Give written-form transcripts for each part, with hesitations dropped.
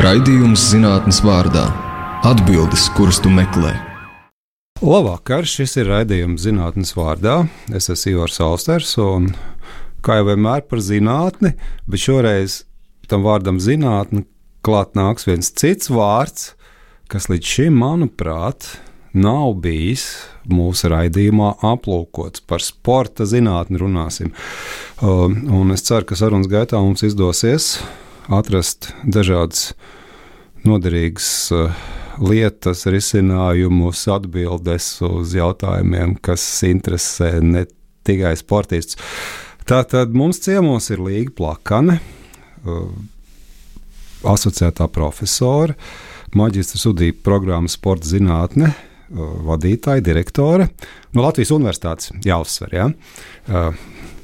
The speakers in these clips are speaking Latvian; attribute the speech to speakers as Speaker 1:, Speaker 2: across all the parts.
Speaker 1: Raidījums zinātnes vārdā. Atbildes, kuras tu meklē.
Speaker 2: Labvakar, šis ir raidījums zinātnes vārdā. Es esmu Ivars Austers un, kā jau vienmēr, par zinātni, bet šoreiz tam vārdam zinātne klāt nāks viens cits vārds, kas līdz šim, manuprāt, nav bijis mūsu raidījumā aplūkots. Par sporta zinātni runāsim. Un es ceru, ka sarunas gaitā mums izdosies atrast dažādas noderīgas lietas, risinājumus, atbildes uz jautājumiem, kas interesē ne tikai sportistus. Tātad mums ciemos ir Līga Plakane, asociētā profesore, maģistra studiju programmas sporta zinātne, vadītāja, direktore no Latvijas Universitātes, jāuzsver, ja?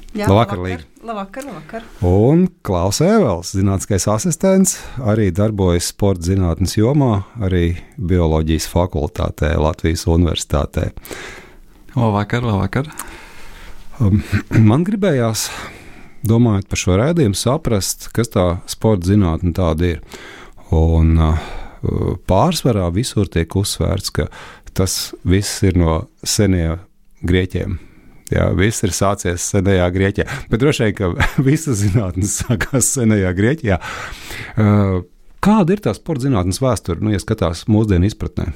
Speaker 2: Labvakar, Līga.
Speaker 3: Labvakar.
Speaker 2: Un Klaus Ēvels, zinātniskais asistents, arī darbojas sporta zinātnes jomā, arī bioloģijas fakultātē Latvijas Universitātē.
Speaker 4: Labvakar.
Speaker 2: Man gribējās, domājot par šo raidījumu, saprast, kas tā sporta zinātne tāda ir. Un pārsvarā visur tiek uzsvērts, ka tas viss ir no seniem grieķiem. Jā, viss ir sācies senajā Grieķijā. Bet droši vien, ka visa zinātnes sākās senajā Grieķijā. Kāda ir tā sporta zinātnes vēsture, ja skatās mūsdienu izpratnē?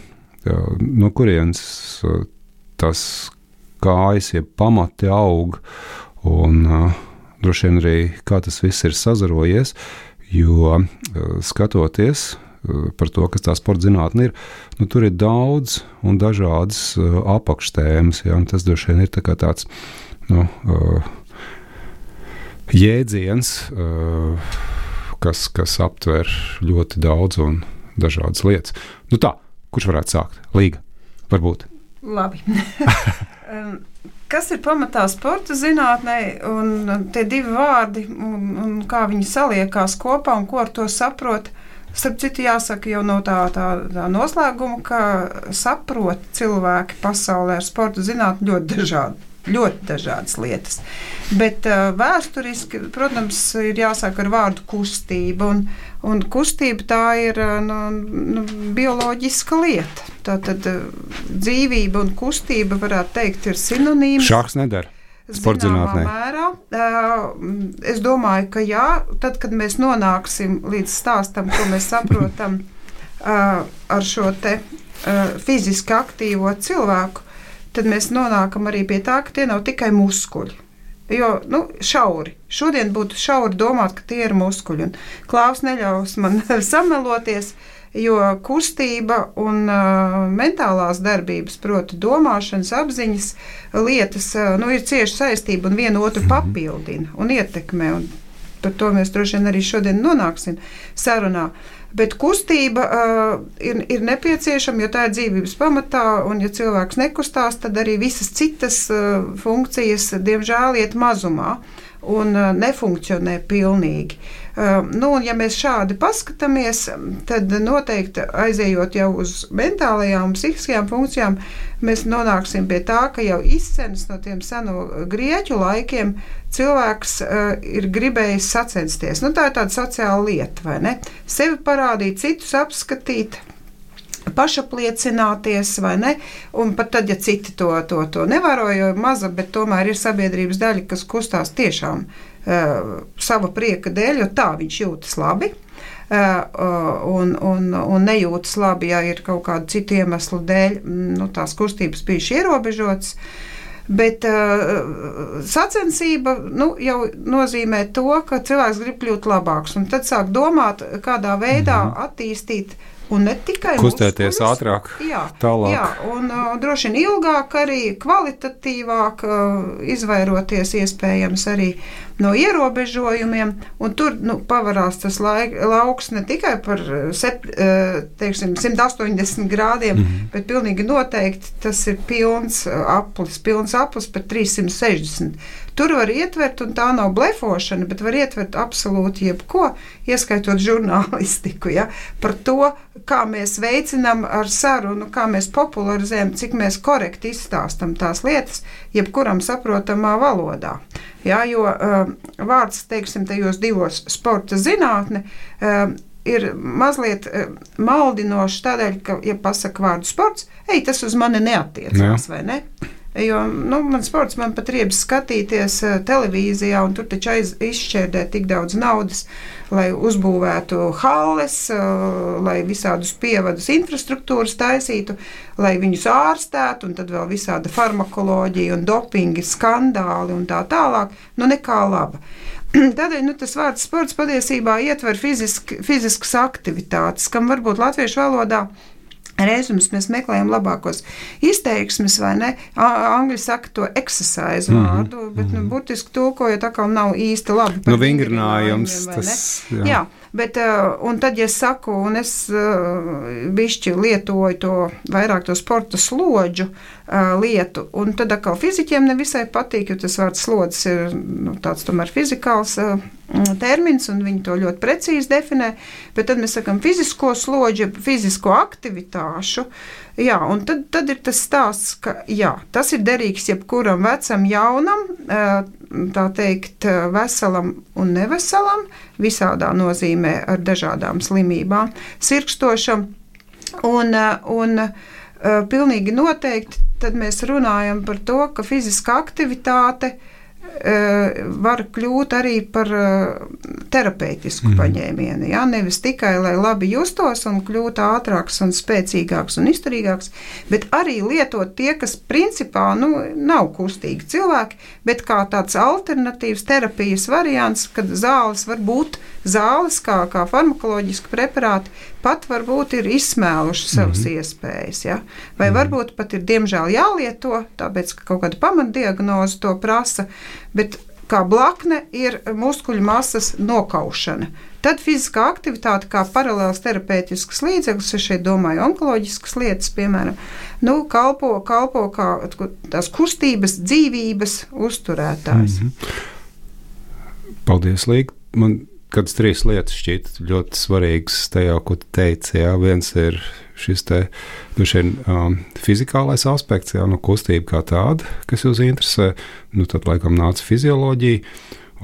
Speaker 2: No kurienes tas kājas, pamati aug un droši vien arī kā tas viss ir sazarojies, jo skatoties par to, kas tā sporta zinātne ir, tur ir daudz un dažādas apakštēmas, ja, un tas droši vien ir tā kā tāds jēdziens, kas aptver ļoti daudz un dažādas lietas. Tā, kurš varētu sākt? Līga, varbūt.
Speaker 3: Labi. Kas ir pamatā sporta zinātnē, un tie divi vārdi, un kā viņi saliekās kopā, un ko ar to saprot? Starp citu, jāsaka jau no tā noslēguma, ka saprot cilvēki pasaulē ar sporta zinātni ļoti dažādas lietas. Bet vēsturiski, protams, ir jāsāk ar vārdu kustība, un kustība tā ir bioloģiska lieta. Tātad dzīvība un kustība, varētu teikt, ir sinonīms.
Speaker 2: Šāks nedara.
Speaker 3: Zināmā mērā. Es domāju, ka jā, tad, kad mēs nonāksim līdz stāstam, ko mēs saprotam ar šo te fiziski aktīvo cilvēku, tad mēs nonākam arī pie tā, ka tie nav tikai muskuļi. Jo, šauri. Šodien būtu šauri domāt, ka tie ir muskuļi. Un Klaus neļaus man sameloties, jo kustība un mentālās darbības, proti domāšanas, apziņas lietas, ir cieši saistība un vienu otru papildina un ietekmē. Un par to mēs droši vien arī šodien nonāksim sarunā. Bet kustība ir nepieciešama, jo tā ir dzīvības pamatā, un ja cilvēks nekustās, tad arī visas citas funkcijas, diemžēl, iet mazumā un nefunkcionē pilnīgi. Un ja mēs šādi paskatāmies, tad noteikti aizējot jau uz mentālajām un psihiskajām funkcijām, mēs nonāksim pie tā, ka jau izcenas no tiem seno grieķu laikiem cilvēks ir gribējis sacensties. Tā ir tāda sociāla lieta, vai ne? Sevi parādīt, citus apskatīt, pašapliecināties, vai ne? Un pat tad, ja citi to nevēro, jo maza, bet tomēr ir sabiedrības daļa, kas kustās tiešām sava prieka dēļ, jo tā viņš jūtas labi un nejūtas labi, ja ir kaut kādu citu iemeslu dēļ, tās kustības bijuši ierobežotas. Bet sacensība jau nozīmē to, ka cilvēks grib kļūt labāks, un tad sāk domāt, kādā veidā attīstīt un ne tikai
Speaker 2: kustēties muskuļus, ātrāk, tālāk.
Speaker 3: Jā, un droši vien ilgāk arī, kvalitatīvāk, izvairoties iespējams arī no ierobežojumiem, un tur pavarās tas lauks ne tikai par 180 grādiem, bet pilnīgi noteikti tas ir pilns aplis par 360. Tur var ietvert, un tā nav blefošana, bet var ietvert absolūti jebko, ieskaitot žurnālistiku, ja, par to, kā mēs veicinām ar sarunu, kā mēs popularizējam, cik mēs korekti izstāstam tās lietas, jebkuram saprotamā valodā. Ja, jo vārds, teiksim, tajos divos sporta zinātne, ir mazliet maldinoši tādēļ, ka, ja pasaka vārdu sports, tas uz mani neatiecās, vai ne? Jo, man sports, man pat riebas skatīties televīzijā, un tur taču izšķērdē tik daudz naudas, lai uzbūvētu halles, lai visādus pievadus infrastruktūras taisītu, lai viņus ārstētu, un tad vēl visāda farmakoloģija un dopingi, skandāli un tā tālāk, nekā laba. Tādēļ tas vārds sports patiesībā ietver fiziskas aktivitātes, kam varbūt latviešu valodā reizums mēs meklējam labākos izteiksmes, vai ne? Angļi saka to exercise vārdu, bet burtiski tulkojot atkal nav īsti labi.
Speaker 2: Vingrinājums, tas,
Speaker 3: jā. Bet, un tad, ja saku, un es bišķi lietoju to vairāk to sporta slodžu lietu, un tad atkal fiziķiem nevisai patīk, jo tas vārds slodzes ir tāds tomēr fizikāls termins, un viņi to ļoti precīzi definē, bet tad mēs sakam fizisko slodžu, fizisko aktivitāšu, jā, un tad ir tas stāsts, ka jā, tas ir derīgs jebkuram vecam, jaunam, tā teikt, veselam un neveselam, visādā nozīmē ar dažādām slimībām, sirkstošam, un pilnīgi noteikti tad mēs runājam par to, ka fiziska aktivitāte var kļūt arī par terapeitisku paņēmienu. Ja? Nevis tikai, lai labi justos un kļūtu ātrāks un spēcīgāks un izturīgāks, bet arī lietot tie, kas principā nav kustīgi cilvēki, bet kā tāds alternatīvs terapijas variants, kad zāles var būt zāles, kā farmakoloģiski preparāti, pat varbūt ir izsmēluši savas iespējas. Ja? Vai varbūt pat ir diemžēl jālieto, tāpēc, ka kaut kāda pamatdiagnoze to prasa, bet kā blakne ir muskuļu masas nokaušana. Tad fiziskā aktivitāte kā paralēls terapeitisks līdzeklis, es šeit domāju onkoloģiskas lietas, piemēram, kalpo kā tās kustības, dzīvības uzturētājs.
Speaker 2: Paldies, Līga. Man kādas 3 lietas šķiet ļoti svarīgas tajā, ko tu teici. Jā. Viens ir šis fizikālais aspekts, kustība kā tāda, kas jūs interesē. Tad laikam nāca fizioloģija.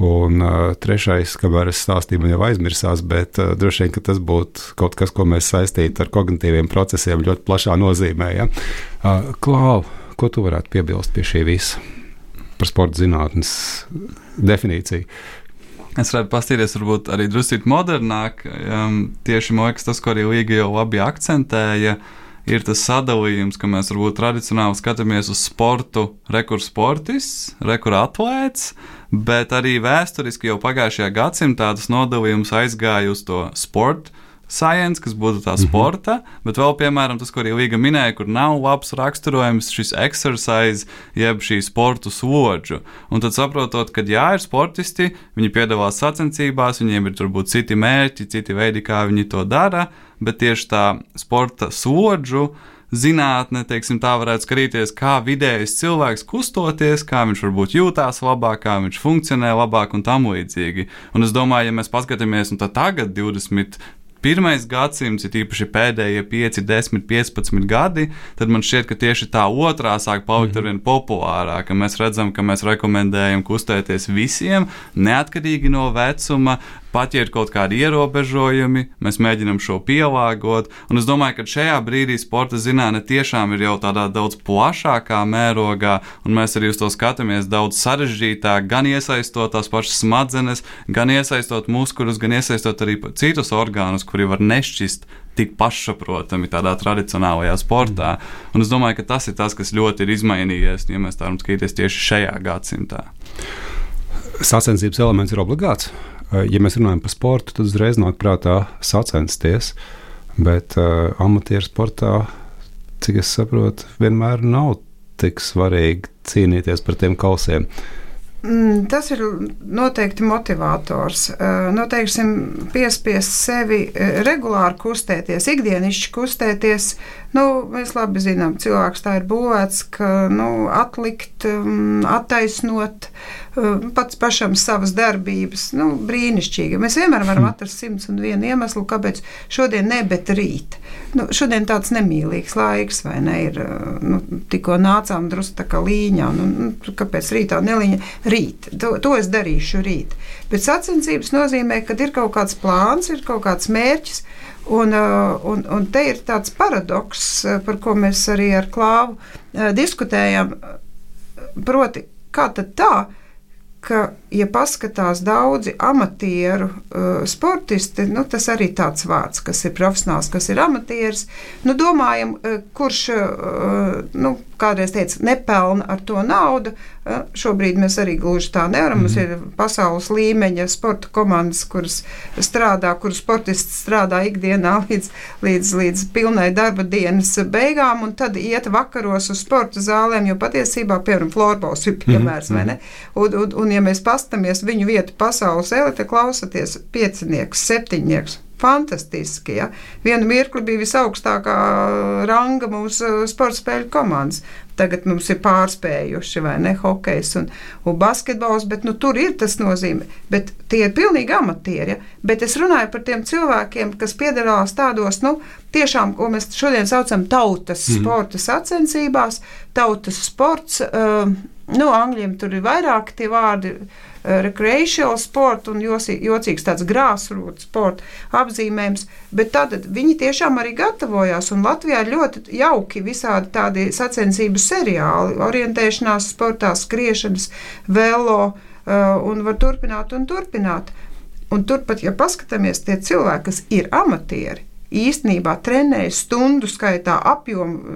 Speaker 2: Un trešais, kamēr es stāstīju, man jau aizmirsās, bet droši vien, ka tas būtu kaut kas, ko mēs saistītu ar kognitīviem procesiem ļoti plašā nozīmē. Ja? Klau, ko tu varētu piebilst pie šī visa par sporta zinātnes definīciju?
Speaker 4: Es varētu pastīties varbūt arī drusīt modernāk. Tieši man liekas, tas, ko arī Līga jau labi akcentēja, ir tas sadalījums, ka mēs varbūt tradicionāli skatāmies uz sportu, rekur sportists, rekur atlēts, bet arī vēsturiski jau pagājušajā gadsimtā tas nodalījums aizgāja uz to sportu science, kas būtu tā sporta, bet vēl, piemēram, tas, ko arī Līga minēja, kur nav labs raksturojums, šis exercise, jeb šī sportu slodžu. Un tad saprotot, ka jā, ir sportisti, viņi piedalās sacensībās, viņiem ir turbūt citi mērķi, citi veidi, kā viņi to dara, bet tieši tā sporta slodžu zinātne, teiksim, tā varētu skatīties, kā vidējais cilvēks kustoties, kā viņš varbūt jūtās labāk, kā viņš funkcionē labāk un tam līdzīgi. Un es domāju, ja mēs paskatāmies, un tad tagad 21. gadsimts, ir īpaši pēdējie 5, 10, 15 gadi, tad man šķiet, ka tieši tā otrā sāk palikt arvien populārāka. Mēs redzam, ka mēs rekomendējam kustēties visiem, neatkarīgi no vecuma, pat ja ir kaut kādi ierobežojumi, mēs mēģinam šo pielāgot, un es domāju, ka šajā brīdī sporta zinātne tiešām ir jau tādā daudz plašākā mērogā, un mēs arī uz to skatāmies daudz sarežģītāk, gan iesaistot tās pašas smadzenes, gan iesaistot muskuļus, gan iesaistot arī citus orgānus, kuri var nešķist tik pašsaprotami tādā tradicionālajā sportā. Un es domāju, ka tas ir tas, kas ļoti ir izmainījies, ja mēs tā varam skatīties tieši šajā gadsimtā.
Speaker 2: Sacensības elements ir obligāts. Ja mēs runājam par sportu, tad uzreiz nāk prātā sacensties, bet amatieru sportā, cik es saprotu, vienmēr nav tik svarīgi cīnīties par tiem kausiem.
Speaker 3: Tas ir noteikti motivators. Noteiksim, piespiest sevi regulāri kustēties, ikdienišķi kustēties, Mēs labi zinām, cilvēks tā ir būvēts, ka atlikt, attaisnot pats pašam savas darbības, brīnišķīgi. Mēs vienmēr varam atrast 101 iemeslu, kāpēc šodien ne, bet rīt. Šodien tāds nemīlīgs laiks, vai ne, ir, tikko nācām drusku tā kā līņā, kāpēc rītā nelīņa? Rīt, to es darīšu rīt. Bet sacensības nozīmē, ka ir kaut kāds plāns, ir kaut kāds mērķis, un te ir tāds paradoks, par ko mēs arī ar Klāvu diskutējam, proti, kā tad tā, ka, ja paskatās daudzi amatieru sportisti, tas arī tāds vārds, kas ir profesionāls, kas ir amatieris, domājam, kurš, kādreiz teica, nepelna ar to naudu, šobrīd mēs arī gluži tā nevaram, mums ir pasaules līmeņa sporta komandas, kuras sportisti strādā ikdienā līdz pilnai darba dienas beigām, un tad iet vakaros uz sporta zālēm, jo patiesībā, piemēram, florbols ir piemērs, vai ne? Un ja mēs pastamies viņu vietu pasaules elite, klausaties 5-nieks, 7-nieks, fantastiski, ja? Vienu mirkli bija visaugstākā ranga mūsu sporta spēļu komandas. Tagad mums ir pārspējuši, vai ne, hokejs un basketbols, bet tur ir tas nozīme. Bet tie ir pilnīgi amatieri, ja? Bet es runāju par tiem cilvēkiem, kas piedalās tādos, tiešām, ko mēs šodien saucam tautas sporta sacensībās, tautas sports, angļiem tur ir vairāk tie vārdi, recreational sport un jocīgs tāds grassroots sporta apzīmējums, bet tātad viņi tiešām arī gatavojās, un Latvijā ir ļoti jauki visādi tādi sacensību seriāli, orientēšanās sportā, skriešanas, velo, un var turpināt un turpināt. Un turpat, ja paskatāmies, tie cilvēki, kas ir amatieri, īstenībā trenējas stundu skaitā, apjomu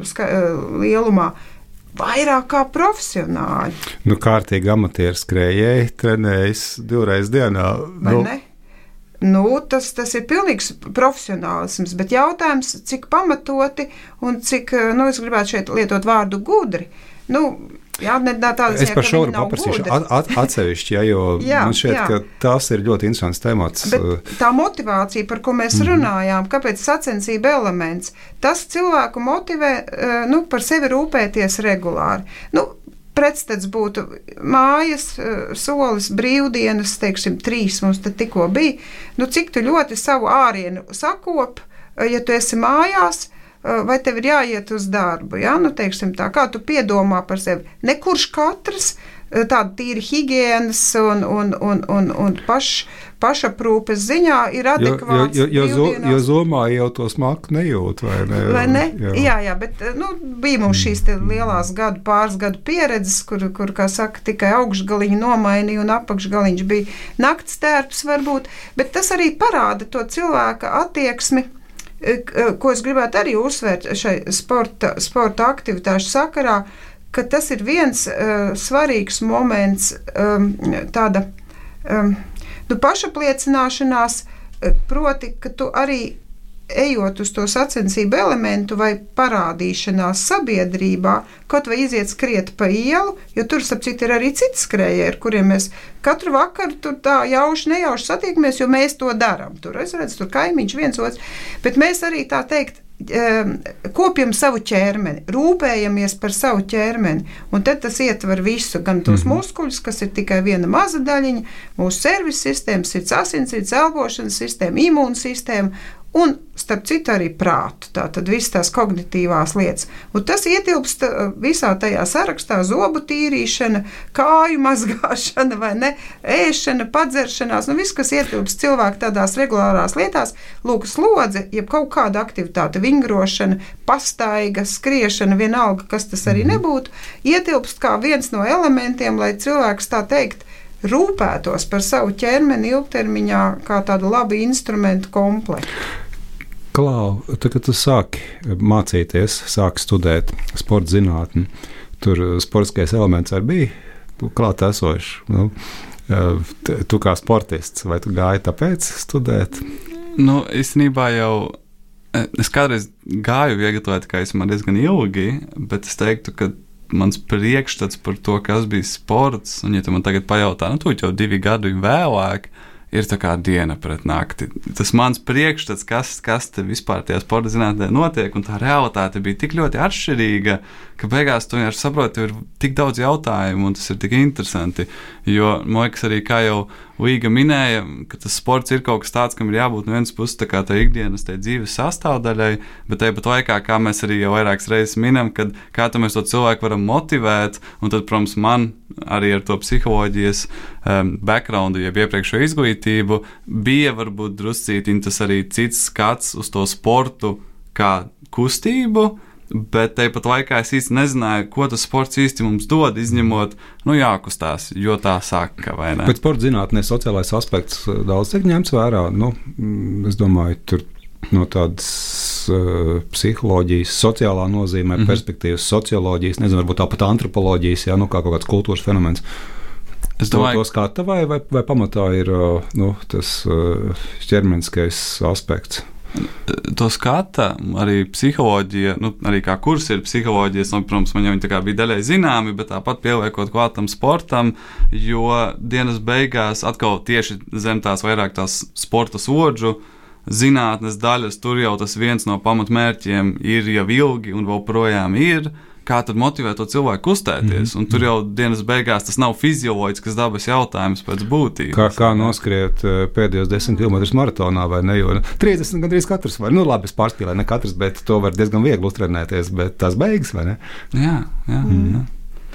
Speaker 3: lielumā, vairāk kā profesionāļi.
Speaker 2: Kārtīgi amatieru skrējēji trenējas 2 reizes dienā.
Speaker 3: Vai ne? Tas ir pilnīgs profesionālisms, bet jautājums, cik pamatoti un cik, es gribētu šeit lietot vārdu gudri.
Speaker 2: Es par šo varu paprasīšu atsevišķi, jo man šķiet, ka tas ir ļoti interesants temats.
Speaker 3: Bet tā motivācija, par ko mēs runājām, kāpēc sacensība elements, tas cilvēku motivē par sevi rūpēties regulāri. Pretstats būtu mājas, solis, brīvdienas, 3 mums te tikko bija. Cik tu ļoti savu ārienu sakop, ja tu esi mājās, vai tev ir jāiet uz darbu, ja? Tā, kā tu piedomā par sevi. Nekurš katrs tāda tīri higienas un pašaprūpes ziņā ir adekvāts.
Speaker 2: Jo zomā jau to smaku nejūt, vai ne?
Speaker 3: Vai ne? Jā, bet bija mums šīs lielās pāris gadu pieredzes, kur, kā saka, tikai augšgaliņu nomainīja un apakšgaliņš bija nakts tērps varbūt, bet tas arī parāda to cilvēka attieksmi, ko es gribētu arī uzsvērt šai sporta aktivitāšu sakarā, ka tas ir viens svarīgs moments, tāda pašapliecināšanās, proti, ka tu arī ejot uz to sacensību elementu vai parādīšanās sabiedrībā, kaut vai iziet skriet pa ielu, jo tur, starp citu, ir arī citi skrējēji, ar kuriem mēs katru vakaru tur tā nejauši satiekamies, jo mēs to darām. Tur, es redzu, tur kaimiņš viens otrs, bet mēs arī tā teikt, kopjam savu ķermeni, rūpējamies par savu ķermeni, un tad tas ietver visu, gan tos muskuļus, kas ir tikai viena maza daļiņa, mūsu servis sistēma, sirds asinsrites, elpošanas sistēma, imūnsistēma, un, starp citu, arī prātu, tātad visas tās kognitīvās lietas. Un tas ietilpst visā tajā sarakstā: zobu tīrīšana, kāju mazgāšana, vai ne, ēšana, padzeršanās, viss, kas ietilpst cilvēku tādās regulārās lietās, lūk, slodze, jeb kaut kāda aktivitāte, vingrošana, pastaiga, skriešana, vienalga, kas tas arī nebūtu, ietilpst kā viens no elementiem, lai cilvēks, tā teikt, rūpētos par savu ķermeni ilgtermiņā kā tādu labu instrumentu komplektu.
Speaker 2: Klau, tad, kad tu sāki mācīties, sāki studēt sporta zinātni, tur sportiskais elements arī bija klāt esošs. Tu kā sportists, vai tu gāji tāpēc studēt?
Speaker 4: Īstenībā jau es kādreiz gāju vieglatlētikā diezgan ilgi, bet es teiktu, ka mans priekšstats par to, kas bija sports, un ja tu man tagad pajautā, tu jau 2 gadu vēlāk, ir tā kā diena pret nakti. Tas mans priekšstats, kas te vispār tajā sporta zinātnē notiek, un tā realitāte bija tik ļoti atšķirīga, ka beigās tu vienkārši saproti, ka ir tik daudz jautājumu, un tas ir tik interesanti. Jo, man liekas, arī kā jau Līga minēja, ka tas sports ir kaut kas tāds, kam ir jābūt no vienas puses tā kā tā ikdienas tai dzīves sastāvdaļai, bet tāpat laikā, kā mēs arī jau vairākas reizes minam, kad kā mēs to cilvēku varam motivēt, un tad, protams, man arī ar to psiholoģijas backgroundu, jeb iepriekšējo izglītību, bija varbūt druscītiņ tas arī cits skats uz to sportu kā kustību, bet tāpat laikā es īsti nezināju, ko tas sports īsti mums dod, izņemot, jākustās, jo tā saka, vai ne?
Speaker 2: Bet sporta zinātnē sociālais aspekts daudz tiek ņemts vērā. Es domāju, tur no tādas psiholoģijas, sociālā nozīmē, perspektīvas, socioloģijas, nezinu, varbūt tāpat antropoloģijas, kā kaut kāds kultūras fenomens. Es domāju, to skata vai pamatā ir tas ķermeniskais aspekts?
Speaker 4: To skata arī psiholoģija, arī kā kurs ir psiholoģijas, protams, man jau viņi tā kā bija daļai zināmi, bet tāpat pieliekot klātam sportam, jo dienas beigās atkal tieši zem tās vairāk tās sporta slodžu zinātnes daļas, tur jau tas viens no pamatmērķiem ir jau ilgi un vēl projām ir, kā tad motivēt to cilvēku kustēties, un tur jau dienas beigās tas nav fizioloģisks dabas jautājums pēc būtības. Kā
Speaker 2: noskriet pēdējos 10 km maratonā, vai ne, jo 30 gandrīz katrs var, labi, es pārspīlēju, ne katrs, bet to var diezgan viegli uztrenēties, bet tās beigas, vai ne?
Speaker 4: Jā,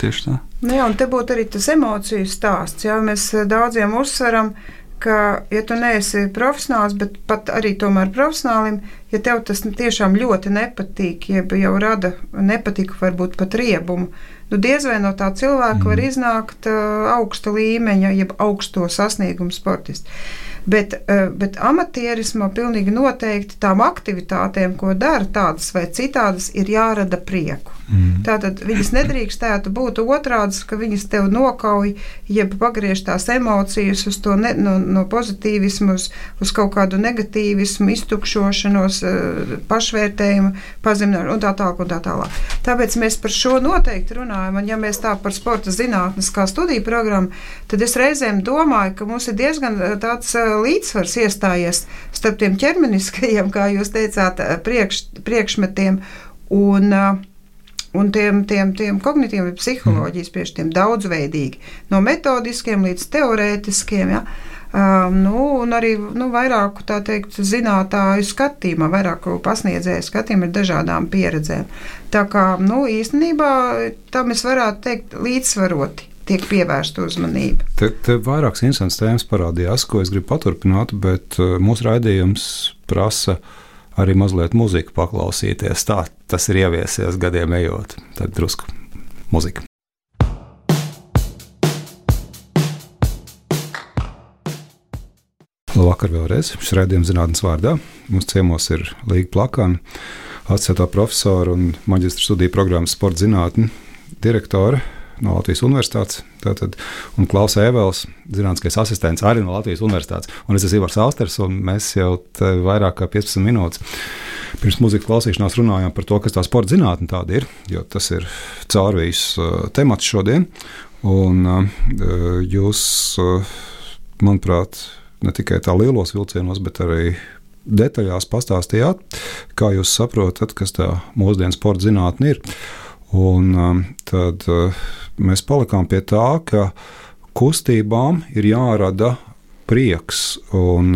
Speaker 4: tieši tā.
Speaker 3: Jā, un te būtu arī tas emociju stāsts, mēs daudziem uzsveram, ka, ja tu neesi profesionāls, bet pat arī tomēr profesionālim, ja tev tas tiešām ļoti nepatīk, jeb jau rada nepatiku, varbūt pat riebumu, diez vai no tā cilvēka var iznākt augsta līmeņa, jeb augsto sasniegumu sportisti. Bet amatierismā pilnīgi noteikti tām aktivitātēm, ko dara tādas vai citādas, ir jārada prieku. Tātad viņas nedrīkstētu būt otrādas, ka viņas tev nokauj, jeb pagriež tās emocijas uz to no pozitīvismu, uz kaut kādu negatīvismu, iztukšošanos, pašvērtējumu, pazemināšanu un tā tālāk un tā tālāk. Tāpēc mēs par šo noteikti runājam, un ja mēs tā par sporta zinātnes kā studiju programmu, tad es reizēm domāju, ka mums ir diezgan tāds līdzsvars iestājies starp tiem ķermeniskajiem, kā jūs teicāt, priekšmetiem un tiem kognitīviem psiholoģijas, priekš tiem daudzveidīgi, no metodiskiem līdz teorētiskiem, un arī vairāku, tā teikt, zinātāju skatījumā, vairāku pasniedzēju skatījumā ar dažādām pieredzēm. Tā kā, īstenībā, tam es varētu teikt līdzsvaroti tiek pievērsta uzmanība.
Speaker 2: Te vairākas interesantas tēmas parādījās, ko es gribu paturpināt, bet mūsu raidījums prasa arī mazliet muziku paklausīties. Tā tas ir ieviesies gadiem ejot. Tad drusku muzika. Labvakar vēlreiz. Šis raidījums zinātnes vārdā. Mums ciemos ir Līga Plakana, asociētā profesora un maģistra studiju programmas sporta zinātņu direktore no Latvijas Universitātes, un Klaus Ēvels, zinātniskais asistents arī no Latvijas Universitātes. Un es esmu Ivars Austers, un mēs jau vairāk kā 15 minūtes pirms muzikas klausīšanās runājām par to, kas tā sporta zinātne tāda ir, jo tas ir caurvijas temats šodien. Un jūs, manuprāt, ne tikai tā lielos vilcienos, bet arī detaļās pastāstījāt, kā jūs saprotat, kas tā mūsdienu sporta zinātne ir. Un tad mēs palikām pie tā, ka kustībām ir jārada prieks. Un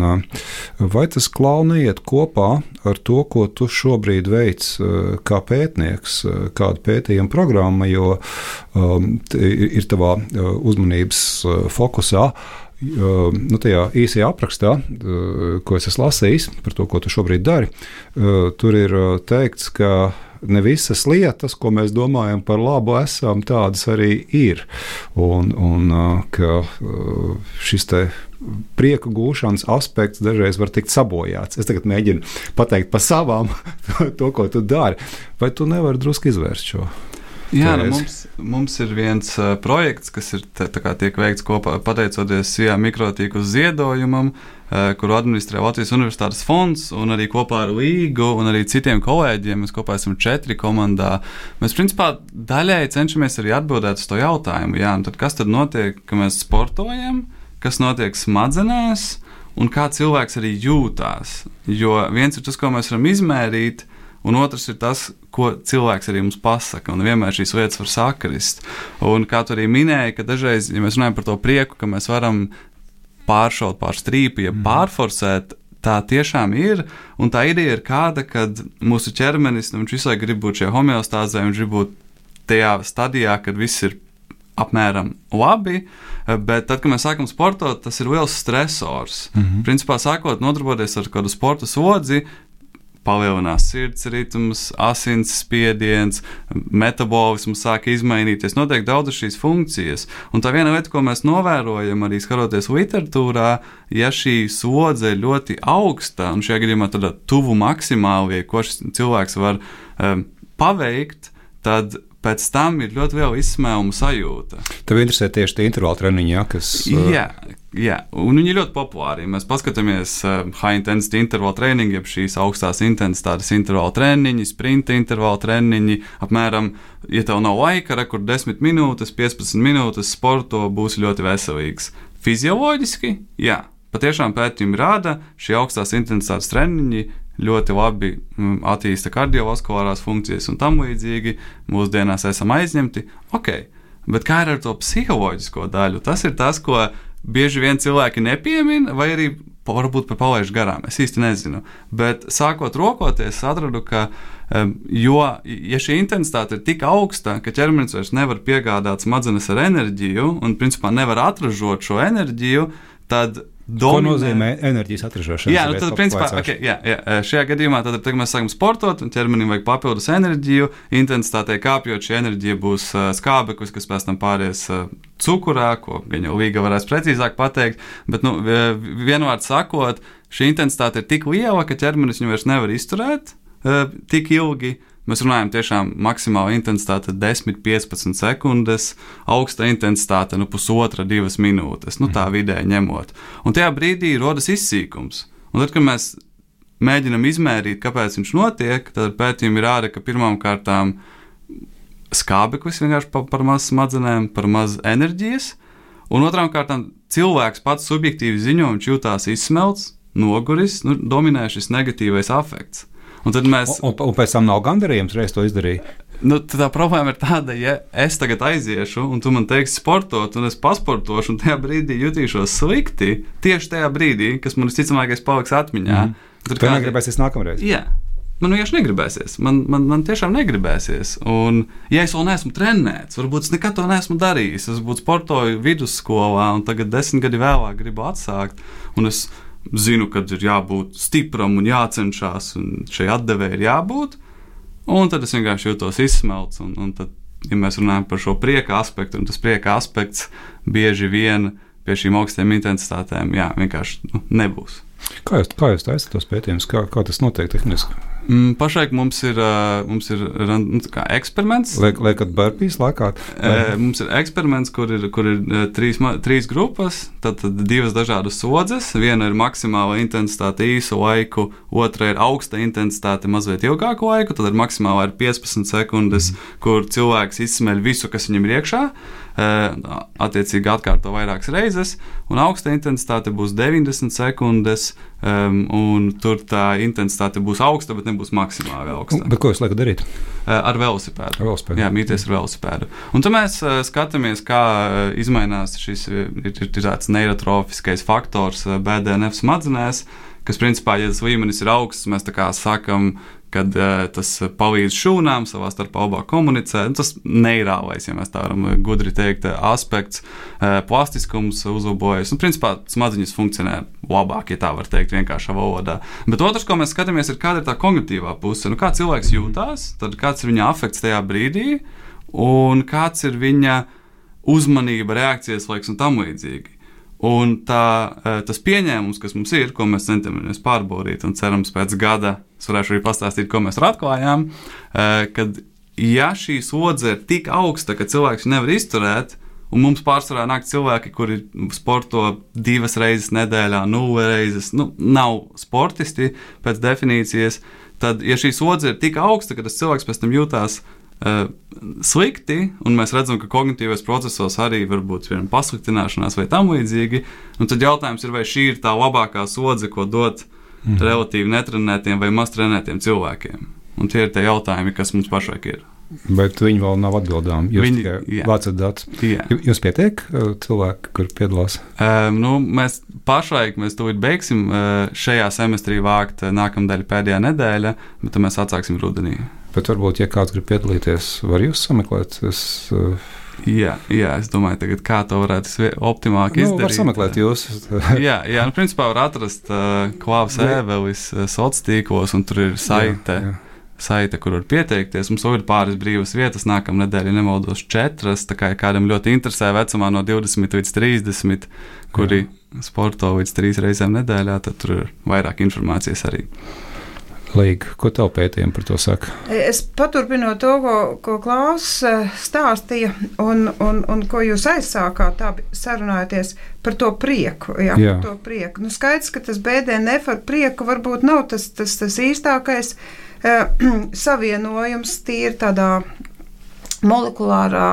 Speaker 2: vai tas, Klau, neiet kopā ar to, ko tu šobrīd veic kā pētnieks, kāda pētījuma programma, jo ir tavā uzmanības fokusā, tajā īsajā aprakstā, ko es esmu lasījis par to, ko tu šobrīd dari, tur ir teikts, ka ne visas lietas, ko mēs domājam par labu, tādas arī ir. Un ka šis te prieka gūšanas aspekts dažreiz var tikt sabojāts. Es tagad mēģinu pateikt pa savām to, ko tu dari. Vai tu nevari drusku izvērst šo?
Speaker 4: Jā, mums ir viens projekts, kas ir tiek veikts kopā pateicoties SIA mikrotīku ziedojumam, kuru administrē Latvijas Universitātes fonds, un arī kopā ar Līgu un arī citiem kolēģiem. Mēs kopā esam 4 komandā. Mēs, principā, daļēji cenšamies arī atbildēt uz to jautājumu. Jā, tad kas tad notiek, ka mēs sportojam, kas notiek smadzenēs, un kā cilvēks arī jūtās. Jo viens ir tas, ko mēs varam izmērīt, un otrs ir tas, ko cilvēks arī mums pasaka, un vienmēr šīs lietas var sakrist. Un kā tu arī minēji, ka dažreiz, ja mēs runājam par to prieku, ka mēs varam pāršaut pār strīpu, ja pārforsēt, tā tiešām ir, un tā ideja ir kāda, kad mūsu ķermenis, viņš visai grib būt šajā homeostāzē, viņš grib būt tajā stadijā, kad viss ir apmēram labi, bet tad, kad mēs sākam sportot, tas ir liels stresors. Principā sākot nodarboties ar kādu sporta sodzi, palielinās sirds ritms, asins spiediens, metabolisms sāk izmainīties, notiek daudzas šīs funkcijas. Un tā viena lieta, ko mēs novērojam arī skatoties literatūrā, ja šī slodze ir ļoti augsta, un šajā gadījumā tādā tuvu maksimālajai, ko šis cilvēks var paveikt, tad pēc tam ir ļoti liela izsmēluma sajūta.
Speaker 2: Tev interesē tieši tie intervāli treniņi, ja, kas...
Speaker 4: Jā, un viņi ir ļoti populāri. Mēs paskatāmies high intensity intervālu treniņu, jeb šīs augstās intensitātes intervālu treniņi, sprinta intervālu treniņi, apmēram, ja tev nav laika, kur 10 minūtes, 15 minūtes sporto būs ļoti veselīgs. Fizioloģiski, jā, patiešām pētījumi rāda, šie augstās intensitātes treniņi ļoti labi attīsta kardiovaskulārās funkcijas un tam līdzīgi. Mūsdienās esam aizņemti. Ok, bet kā ir ar to psiholoģisko daļu? Tas ir tas, ko bieži vien cilvēki nepiemina, vai arī varbūt par palaišu garām. Es īsti nezinu. Bet sākot rokoties, atradu, ka ja šī intensitāte ir tik augsta, ka ķermenis vairs nevar piegādāt smadzenes ar enerģiju un principā nevar atražot šo enerģiju, tad
Speaker 2: Ko nozīmē enerģijas atražošana?
Speaker 4: Jā, tad principā, šajā gadījumā, tad mēs sākam sportot, un ķermenim vajag papildus enerģiju, intensitātei kāpjot, šī enerģija būs skābeklis, kas pēc tam pāries cukurā, ko gan jau Līga varēs precīzāk pateikt, bet, vienvārds sakot, šī intensitāte ir tik liela, ka ķermenis viņu vairs nevar izturēt tik ilgi. Mēs runājam tiešām maksimāla intensitāte 10-15 sekundes, augsta intensitāte 1,5–2 minūtes, tā vidēji ņemot. Un tajā brīdī rodas izsīkums. Un tad, kad mēs mēģinam izmērīt, kāpēc viņš notiek, tad pētījumi rāda, ka pirmām kārtām skābeklis vienkārši par maz smadzenēm, par maz enerģijas, un otrām kārtām cilvēks pats subjektīvi ziņo, viņš jūtās izsmelts, noguris, dominē šis negatīvais afekts. Un
Speaker 2: pēc tam nav gandarījums, reiz to izdarīja.
Speaker 4: Tā problēma ir tāda, ja es tagad aiziešu, un tu man teiksi sportot, un es pasportošu, un tajā brīdī jutīšos slikti, tieši tajā brīdī, kas man visticamākais paliks atmiņā.
Speaker 2: Tev negribēsies nākamreiz?
Speaker 4: Jā. Man vienkārši negribēsies. Man tiešām negribēsies. Un, ja es vēl neesmu trenēts, varbūt es nekad to neesmu darījis. Es būtu sportoju vidusskolā, un tagad 10 gadi vēlāk gribu atsākt, un es zinu, kad ir jābūt stipram un jācenšas, un šai atdevē ir jābūt, un tad es vienkārši jūtos izsmelts, un tad, ja mēs runājam par šo prieka aspektu, un tas prieka aspekts bieži vien pie šīm augstiem intensitātēm, vienkārši nebūs.
Speaker 2: Kā jūs taisat tos pētījumus? Kā tas notiek tehniski?
Speaker 4: Pašlaik mums ir eksperiments.
Speaker 2: Liekat burpees laikāt?
Speaker 4: Mums ir eksperiments, kur ir trīs grupas, tad 2 dažādas slodzes. Viena ir maksimāla intensitāte īsu laiku, otra ir augsta intensitāte mazliet ilgāku laiku, tad ir maksimāla ir 15 sekundes, kur cilvēks izsmeļ visu, kas viņam ir iekšā. Attiecīgi atkārto vairākas reizes, un augsta intensitāte būs 90 sekundes, un tur tā intensitāte būs augsta, bet nebūs maksimāli augsta.
Speaker 2: Bet ko jūs liekat darīt?
Speaker 4: Ar velosipēdu. Jā, mīties ar velosipēdu. Un tad mēs skatāmies, kā izmainās šis ir tāds neirotrofiskais faktors BDNF smadzenēs, kas principā, ja tas līmenis ir augsts, mēs tā kā sakam, kad tas palīdz šūnām savā starpā labāk komunicēt. Tas neirālais, ja mēs tā varam gudri teikt, aspekts, plastiskums uzlabojas. Un principā smadzeņas funkcionē labāk, ja tā var teikt vienkāršā valodā. Bet otrs, ko mēs skatāmies, ir kāda ir tā kognitīvā puse. Kā cilvēks jūtās, tad kāds ir viņa afekts tajā brīdī, un kāds ir viņa uzmanība, reakcijas laiks un tam līdzīgi. Un tas pieņēmums, kas mums ir, ko mēs centamies pārbaudīt, un cerams pēc gada es varēšu arī pastāstīt, ko mēs atklājām, kad ja šī slodze ir tik augsta, ka cilvēks nevar izturēt, un mums pārsvarā nāk cilvēki, kuri sporto 2 reizes nedēļā, 0 reizes, nav sportisti pēc definīcijas, tad, ja šī slodze ir tik augsta, ka tas cilvēks pēc tam jūtās slikti, un mēs redzam, ka kognitīvais procesos arī var būt pasliktināšanās vai tam līdzīgi, un tad jautājums ir, vai šī ir tā labākā sodze, ko dot relatīvi netrenētiem vai maz trenētiem cilvēkiem. Un tie ir tie jautājumi, kas mums pašlaik ir.
Speaker 2: Bet viņi vēl nav atbildām. Jūs tikai vācat datus. Jūs pietiek cilvēki, kur piedalās?
Speaker 4: Mēs pašlaik tūlīt beigsim šajā semestrī vākt nākamnedēļ pēdējā nedēļa, bet tad mēs atsāksim rudenī. Bet
Speaker 2: varbūt, ja kāds grib piedalīties, var jūs sameklēt?
Speaker 4: Jā, es domāju, tagad, kā to varētu optimāli izdarīt.
Speaker 2: Var sameklēt jūs.
Speaker 4: jā, principā var atrast Klāvs Ēvelis sociālos tīklos, un tur ir saite, kur var pieteikties. Mums vēl ir pāris brīvas vietas, nākamā nedēļa, ja nemaldos 4, tā kā kādam ļoti interesē vecumā no 20 līdz 30, kuri sporto līdz 3 reizēm nedēļā, tad tur ir vairāk informācijas arī.
Speaker 2: Līga, ko tev pētījumi par to saka?
Speaker 3: Es paturpinu to, ko Klaus stāstīja, un ko jūs aizsākāt sarunājoties par to prieku. Jā. Par to prieku. Skaidrs, ka tas BDNF ar prieku varbūt nav tas īstākais savienojums tīri tādā molekulārā,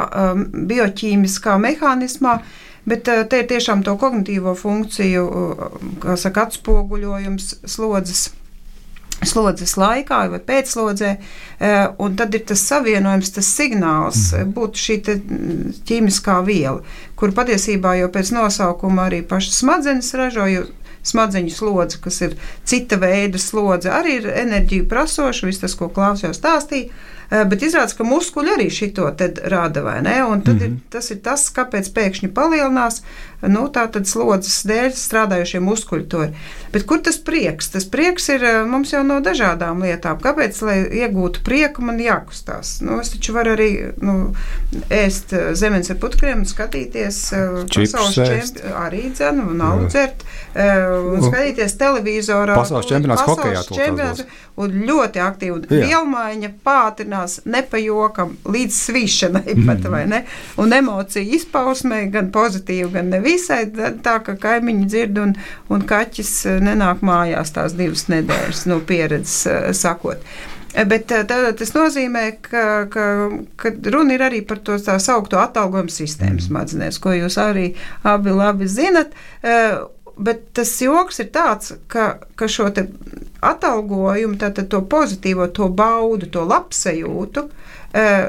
Speaker 3: bioķīmiskā mehānismā, bet te ir tiešām to kognitīvo funkciju, kā saka, atspoguļojums slodzes laikā vai pēcslodzē, un tad ir tas savienojums, tas signāls, būtu šī ķīmiskā viela, kur patiesībā jau pēc nosaukuma arī pašas smadzenes ražo, jo smadzeņu slodze, kas ir cita veida slodze, arī ir enerģiju prasoša, viss tas, ko Klaus jau stāstīja, bet izrādās, ka muskuļi arī šito tad rada, vai ne? Un tad tas ir tas, kāpēc pēkšņi palielinās, tā tad slodzes dēļ strādājošie muskuļi to ir. Bet kur tas prieks? Tas prieks ir mums jau no dažādām lietām. Kāpēc, lai iegūtu prieku, man jākustās? Es taču varu arī ēst zemenes ar putkriem un skatīties pasaules arī dzenu un alu dzert, un skatīties televizorā.
Speaker 2: Pasaules čempionāts hokejā to
Speaker 3: tās un ļoti aktīvi. Un vielmaiņa pātrinās nepajokam līdz svīšanai pat, vai ne? Un emociju izpausmē gan pozitīvi, gan nevisai, tā, ka kaimiņi dzird un kaķis nenāk mājās tās 2 nedēļas no pieredzes sakot. Bet tas nozīmē, ka runa ir arī par to tā saukto atalgojumu sistēmu smadzenēs, ko jūs arī abi labi zinat. Bet tas joks ir tāds, ka šo te atalgojumu, tātad to pozitīvo, to baudu, to labsajūtu,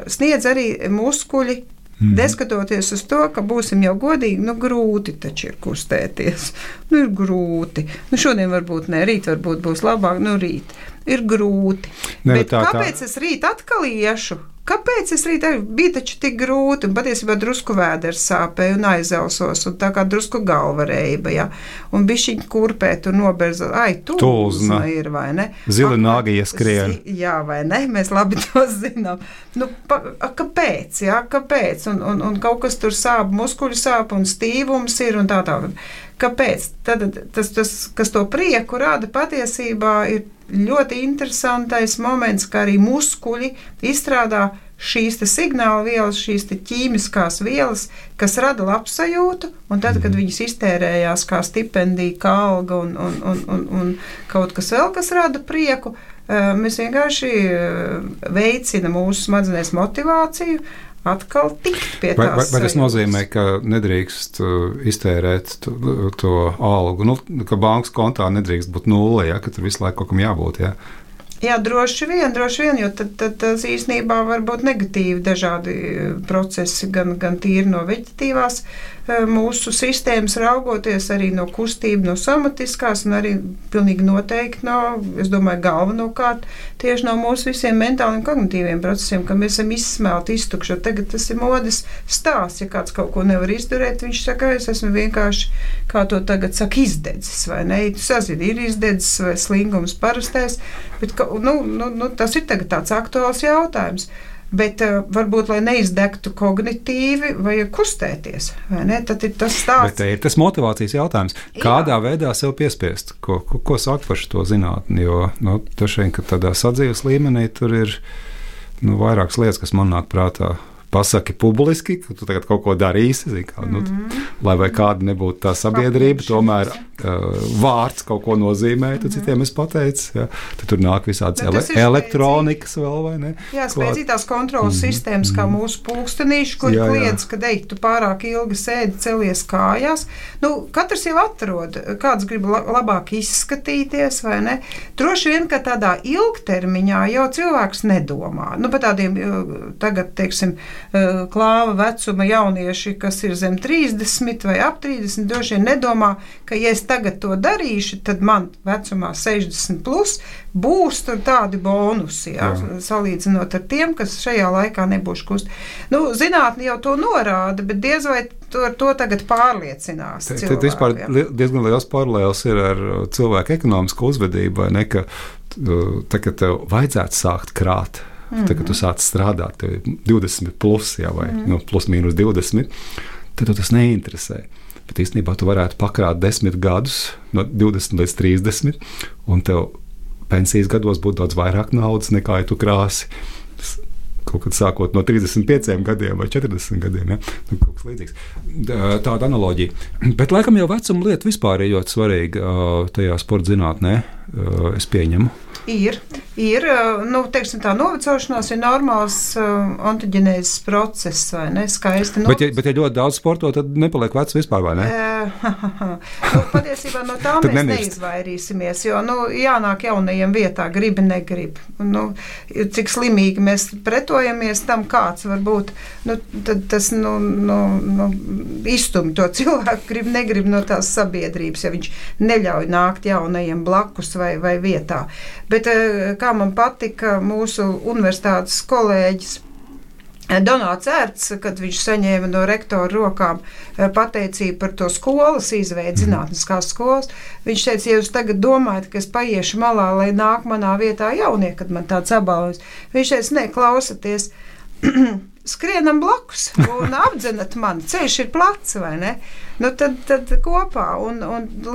Speaker 3: sniedz arī muskuļi, neskatoties uz to, ka būsim jau godīgi, grūti taču ir kustēties. Ir grūti. Šodien varbūt ne, rīt varbūt būs labāk, rīt. Ir grūti. Bet kāpēc es rīt atkal iešu? Kāpēc es rīt bija taču tik grūti, un patiesībā drusku vēders sāpēja un aizelsos, un tā kā drusku galva reiba, ja? Un bišķiņ kurpēt un noberza, tūzna ir, vai ne?
Speaker 2: Zili nāgi ieskrien.
Speaker 3: Jā, vai ne? Mēs labi to zinām. Kāpēc, ja? Kāpēc? Un kaut kas tur sāp, muskuļu sāp, un stīvums ir, un tā. Kāpēc? Tad tas, kas to prieku rada, patiesībā ir ļoti interesantais moments, ka arī muskuļi izstrādā šīs signāla vielas, šīs ķīmiskās vielas, kas rada labsajūtu, un tad, kad viņas iztērējās kā stipendija, kā alga un kaut kas vēl, kas rada prieku, mēs vienkārši veicina mūsu smadzenēs motivāciju, atkal tikt pie tās.
Speaker 2: Vai tas nozīmē, ka nedrīkst iztērēt to algu, ka bankas kontā nedrīkst būt 0, ja, ka tur visu laiku kaut kam jābūt, ja?
Speaker 3: Jā, droši vien, jo tad īstenībā var būt negatīvi dažādi procesi, gan tīri no veģetīvās mūsu sistēmas raugoties, arī no kustība, no somatiskās, un arī pilnīgi noteikti es domāju, galvenokārt tieši no mūsu visiem mentāliem kognitīviem procesiem, ka mēs esam izsmelti, iztukšot. Tagad tas ir modes stāsts, ja kāds kaut ko nevar izdarīt, viņš saka, es esmu vienkārši, kā to tagad saka, izdedzis, vai ne? Tu sazini, ir izdedzis vai slingums parastais, bet tas ir tagad tāds aktuāls jautājums. Bet varbūt, lai neizdegtu kognitīvi, vajag kustēties, vai ne? Tad ir tas stāsts.
Speaker 2: Bet ir tas motivācijas jautājums. Kādā veidā sev piespiest? Ko saka par šo zinātni? Jo, tašien, ka tādā sadzīves līmenī tur ir vairākas lietas, kas man nāk prātā. Pasaki publiski, ka tu tagad kaut ko darīsi, lai vai kāda nebūtu tā sabiedrība, tomēr vārds kaut ko nozīmē, tad citiem es pateicu, ja, tad tur nāk visādas elektronikas vēl, vai ne?
Speaker 3: Jā, spēcītās kontrolas sistēmas, kā mūsu pulkstenīši, kuri kliedz, kad tu pārāk ilgi sēdi, celies kājās. Katrs jau atrod, kāds grib labāk izskatīties, vai ne? Droši vien, ka tādā ilgtermiņā jau cilvēks nedomā. Par tādiem tagad, teiksim, klāva vecuma jaunieši, kas ir zem 30 vai ap 30, droši vien nedomā, ka ja es tagad to darīšu, tad man vecumā 60 plus būs tur tādi bonusi, salīdzinot ar tiem, kas šajā laikā nebūs kust. Zinātne jau to norāda, bet diez vai ar to tagad pārliecinās cilvēki.
Speaker 2: Tad vispār diezgan liels paralēls ir ar cilvēku ekonomisku uzvedību, vai ne, ka tagad tev vajadzētu sākt krāt. Tagad tu sāc strādāt, tev ir 20 plus, vai plus mīnus 20, tad tev tas neinteresē. Bet īstenībā tu varētu pakrāt 10 gadus, no 20 līdz 30, un tev pensijas gados būtu daudz vairāk naudas, nekā ja tu krāsi kaut kad sākot no 35 gadiem vai 40 gadiem. Ja? Kaut kas līdzīgs. Tāda analoģija. Bet laikam jau vecuma lieta vispār ir ļoti svarīga tajā sporta zinātnē, es pieņemu.
Speaker 3: Ir. Teiksim, tā novecošanās ir normāls ontoģenēzes process, vai ne? Skaisti.
Speaker 2: Bet ja ļoti daudz sporto, tad nepaliek vecs vispār, vai ne?
Speaker 3: Patiesībā no tā mēs neizvairīsimies, jo jānāk jaunajiem vietā, gribi, negrib. Cik slimīgi mēs pretojamies tam, kāds var būt, tad tas izstumj to cilvēku, grib, negrib no tās sabiedrības, ja viņš neļauj nākt jaunajiem blakus vai vietā. Bet kā man patika mūsu universitātes kolēģis Donāts Ērts, kad viņš saņēma no rektora rokām pateicību par to skolas izveidi, zinātniskās skolas, viņš teica, ja jūs tagad domājat, ka es paiešu malā, lai nāk manā vietā jaunie, kad man tāds apbalvojums. Viņš teica, ne, klausaties, skrienam blakus un apdzenat mani, ceļš ir plats, vai ne? Tad kopā, un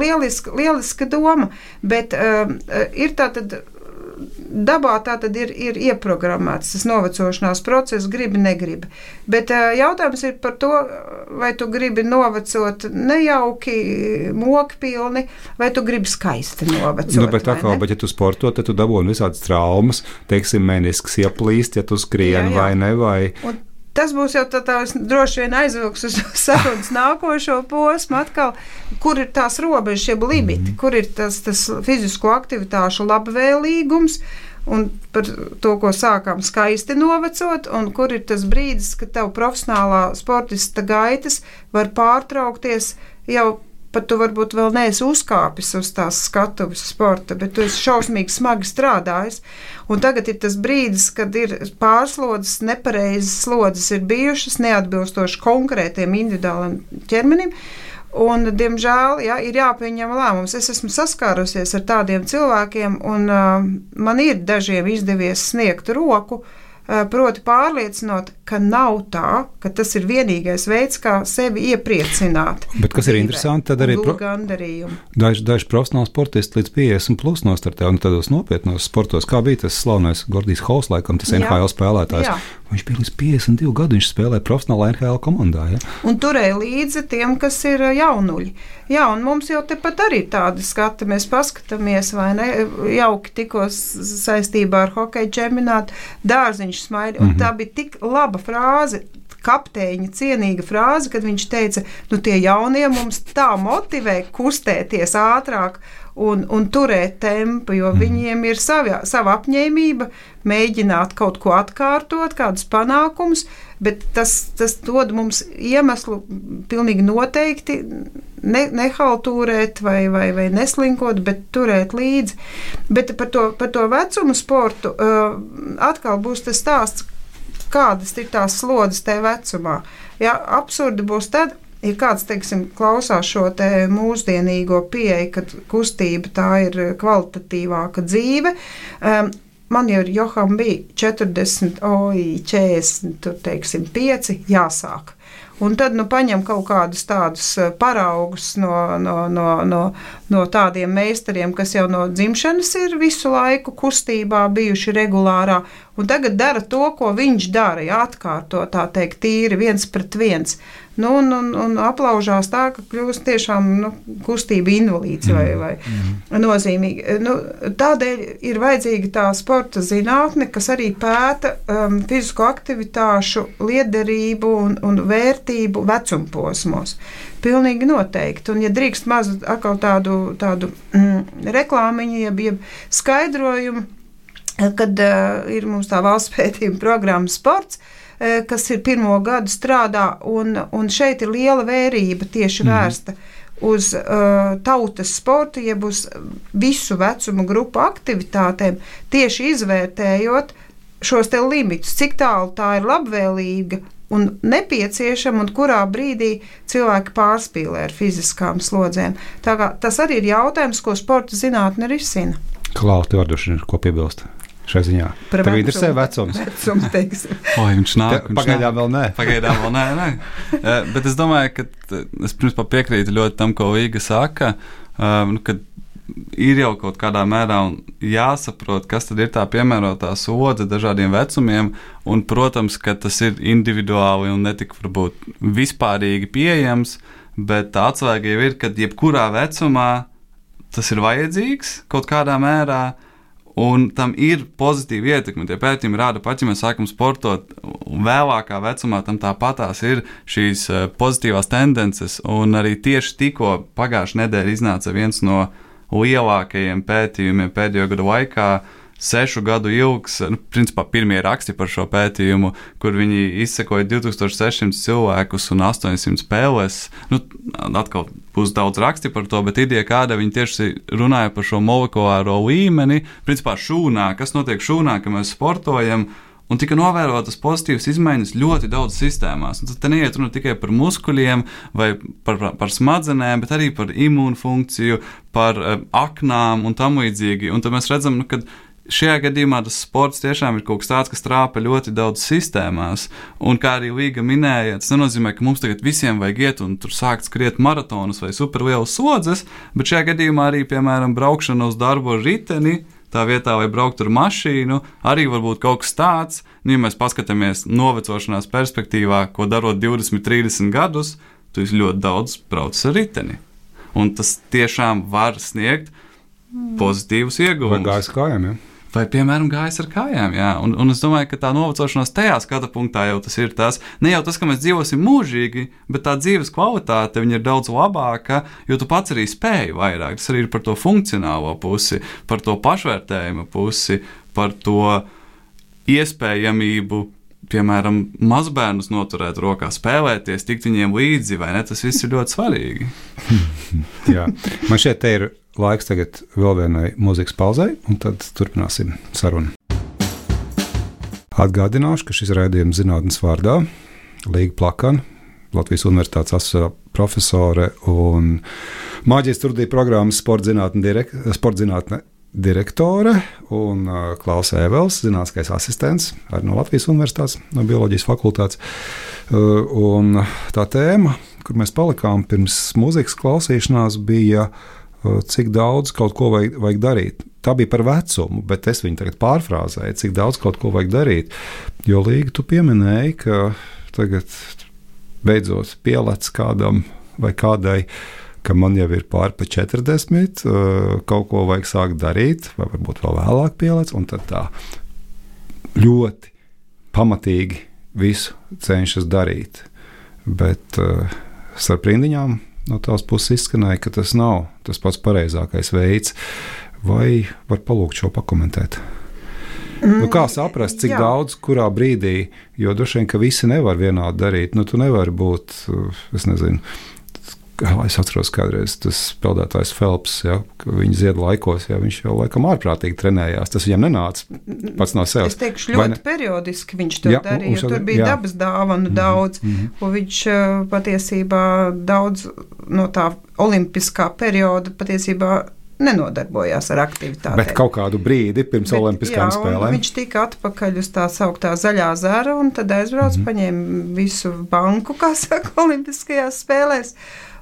Speaker 3: lieliska doma, bet ir tātad dabā tātad ir ieprogrammēts tas novecošanās process, gribi, negribi. Bet jautājums ir par to, vai tu gribi novecot nejauki, mokpilni, vai tu gribi skaisti novecot.
Speaker 2: Bet ja tu sporto, tad tu dabūni visādas traumas, teiksim, menisks ieplīst, ja tu skrien vai ne, vai...
Speaker 3: Tas būs jau tās droši vien aizvilks uz sarunas nākošo posmu atkal, kur ir tās robežas, jeb limiti, kur ir tas fizisko aktivitāšu labvēlīgums un par to, ko sākām skaisti novecot, un kur ir tas brīdis, ka tev profesionālā sportista gaitas var pārtraukties jau pat tu varbūt vēl neesi uzkāpis uz tās skatuves sporta, bet tu esi šausmīgi smagi strādājis. Un tagad ir tas brīdis, kad ir pārslodzes, nepareizes slodzes ir bijušas, neatbilstoši konkrētiem individuāliem ķermenim. Un, diemžēl, ir jāpieņem lēmums. Es esmu saskārusies ar tādiem cilvēkiem, un man ir dažiem izdevies sniegt roku, proti pārliecinot, ka nav tā, ka tas ir vienīgais veids, kā sevi iepriecināt.
Speaker 2: Bet kas ir interesanti, tad arī daži profesionāli sportisti līdz 50 plus nostartē un tādos nopietnos sportos, kā bija tas slavenais Gordijs Hols, laikam tas NHL spēlētājs. Jā. Viņš bija līdz 52 gadu, viņš spēlēja profesionālā NHL komandā. Ja? Un
Speaker 3: turēja līdzi tiem, kas ir jaunuļi. Jā, un mums jau tepat arī tādi skati, mēs paskatāmies, vai ne, jauki tikko saistībā ar hokeju čempionātu, Dārziņš smaida, un tā bija tik laba frāze, kapteiņa cienīga frāze, kad viņš teica, tie jaunie mums tā motivē kustēties ātrāk un turēt tempu, jo viņiem ir sava apņēmība mēģināt kaut ko atkārtot, kādus panākumus, bet tas dod mums iemeslu pilnīgi noteikti nehaltūrēt vai neslinkot, bet turēt līdzi. Bet par to vecumu sportu atkal būs tas stāsts, kādas ir tās slodzes tajā vecumā. Ja, absurdi būs tad, ja kāds, teiksim, klausās šo te mūsdienīgo pieeju, kad kustība tā ir kvalitatīvāka dzīve. Man jau Joham bija 40, 40, tur, teiksim, 5 jāsāk. Un tad paņem kaut kādus tādus paraugus no tādiem meistariem, kas jau no dzimšanas ir visu laiku kustībā bijuši regulārā, un tagad dara to, ko viņš dara, atkārto tā teikt tīri 1-1. Un aplaužās tā, ka kļūst tiešām kustība invalīds vai nozīmīgi. Tādēļ ir vajadzīga tā sporta zinātne, kas arī pēta fizisko aktivitāšu liederību un vērtību vecumposmos. Pilnīgi noteikti. Un, ja drīkst maz atkal tādu reklāmiņu, jeb skaidrojumu, kad ir mums tā valsts pētījuma programma sports, kas ir 1. gadu strādā, un šeit ir liela vērība tieši vērsta uz tautas sportu, jeb uz visu vecumu grupu aktivitātēm, tieši izvērtējot šos te limitus, cik tālu tā ir labvēlīga un nepieciešama, un kurā brīdī cilvēki pārspīlē ar fiziskām slodzēm. Tā kā tas arī ir jautājums, ko sporta zinātne risina.
Speaker 2: Klau, tev ir ko piebilst šai ziņā? Tev interesē vecums?
Speaker 4: Viņš nāk.
Speaker 2: Pagaidām vēl nē.
Speaker 4: Pagaidām vēl nē. Bet es domāju, ka es principā piekrītu ļoti tam, ko Vīga saka, ka ir jau kaut kādā mērā jāsaprot, kas tad ir tā piemērotā sodze dažādiem vecumiem, un, protams, ka tas ir individuāli un netik varbūt vispārīgi pieejams, bet tā atslēga jau ir, ka jebkurā vecumā tas ir vajadzīgs kaut kādā mērā, un tam ir pozitīva ietekme. Tie pētījumi rāda, pat ja mēs sākam sportot, vēlākā vecumā tam tāpatās ir šīs pozitīvās tendences, un arī tieši tikko pagājušajā nedēļā iznāca viens no lielākajiem pētījumiem pēdējo gadu laikā, 6 gadu ilgs, principā pirmie raksti par šo pētījumu, kur viņi izsekoja 2600 cilvēkus un 800 spēles. Atkal būs daudz raksti par to, bet ideja kāda, viņi tieši runāja par šo molekulāro līmeni, principā šūnā, kas notiek šūnā, ka mēs sportojam, un tika novērotas pozitīvas izmaiņas ļoti daudz sistēmās. Un tad te neiet runa tikai par muskuļiem vai par smadzenēm, bet arī par imūnfunkciju, par aknām un tam līdzīgi. Un tad mēs redzam, ka šajā gadījumā tas sports tiešām ir kaut kas tāds, kas trāpa ļoti daudz sistēmās. Un kā arī Līga minēja, tas nenozīmē, ka mums tagad visiem vajag iet un tur sākt skriet maratonus vai superlielas slodzes, bet šajā gadījumā arī, piemēram, braukšana uz darbu ar riteni, tā vietā, vai braukt ar mašīnu, arī var būt kaut kas tāds. Ja mēs paskatāmies novecošanās perspektīvā, ko darot 20, 30 gadus, tu ļoti daudz brauc ar riteni. Un tas tiešām var sniegt pozitīvus ieguvumus.
Speaker 2: Vai gājas kājām, ja?
Speaker 4: Vai, piemēram, gājas ar kājām, jā. Un es domāju, ka tā novecošanās tajā skata punktā jau tas ir tas, ne jau tas, ka mēs dzīvosim mūžīgi, bet tā dzīves kvalitāte viņa ir daudz labāka, jo tu pats arī spēji vairāk. Tas arī ir par to funkcionālo pusi, par to pašvērtējuma pusi, par to iespējamību, piemēram, mazbērnus noturēt rokā, spēlēties, tikt viņiem līdzi, vai ne? Tas viss ir ļoti svarīgi.
Speaker 2: Jā, man šeit te ir laiks tagad vēl vienai mūzikas pauzei, un tad turpināsim sarunu. Atgādināšu, ka šis raidījums zinātnes vārdā Līga Plakana, Latvijas Universitātes asociētā profesore un maģistra studiju programmas sporta zinātne direktore un Klaus Ēvels, zinātniskais asistents, arī no Latvijas Universitātes, no bioloģijas fakultātes. Un tā tēma, kur mēs palikām pirms mūzikas klausīšanās, bija cik daudz kaut ko vajag darīt. Tā bija par vecumu, bet es viņu tagad pārfrāzēju, cik daudz kaut ko vajag darīt. Jo Līga, tu pieminēji, ka tagad beidzot pielec kādam vai kādai, ka man jau ir pāri pa 40, kaut ko vajag sākt darīt, vai varbūt vēl vēlāk pielec, un tad tā ļoti pamatīgi visu cenšas darīt. Bet starp rindiņām no tās puses izskanēja, ka tas nav tas pats pareizākais veids. Vai var palūgt šo pakomentēt? Kā saprast, cik daudz, kurā brīdī, jo droši vien, ka visi nevar vienādi darīt. Tu nevari būt, es nezinu, es atceros kādreiz tas peldētājs Phelps, ja, viņa ziedu laikos, ja, viņš jau laikam ārprātīgi trenējās. Tas viņam nenāca pats no sevis.
Speaker 3: Es teikšu, ļoti periodiski viņš to darīja, jo tur bija dabas dāvanu daudz, un viņš patiesībā daudz no tā olimpiskā perioda patiesībā nenodarbojās ar aktivitātēm.
Speaker 2: Bet kaut kādu brīdi pirms olimpiskām spēlēm.
Speaker 3: Viņš tika atpakaļ uz tā sauktā zaļā zara un tad aizbrauc, paņēma visu banku, kā saka, olimpiskajās spēlēs.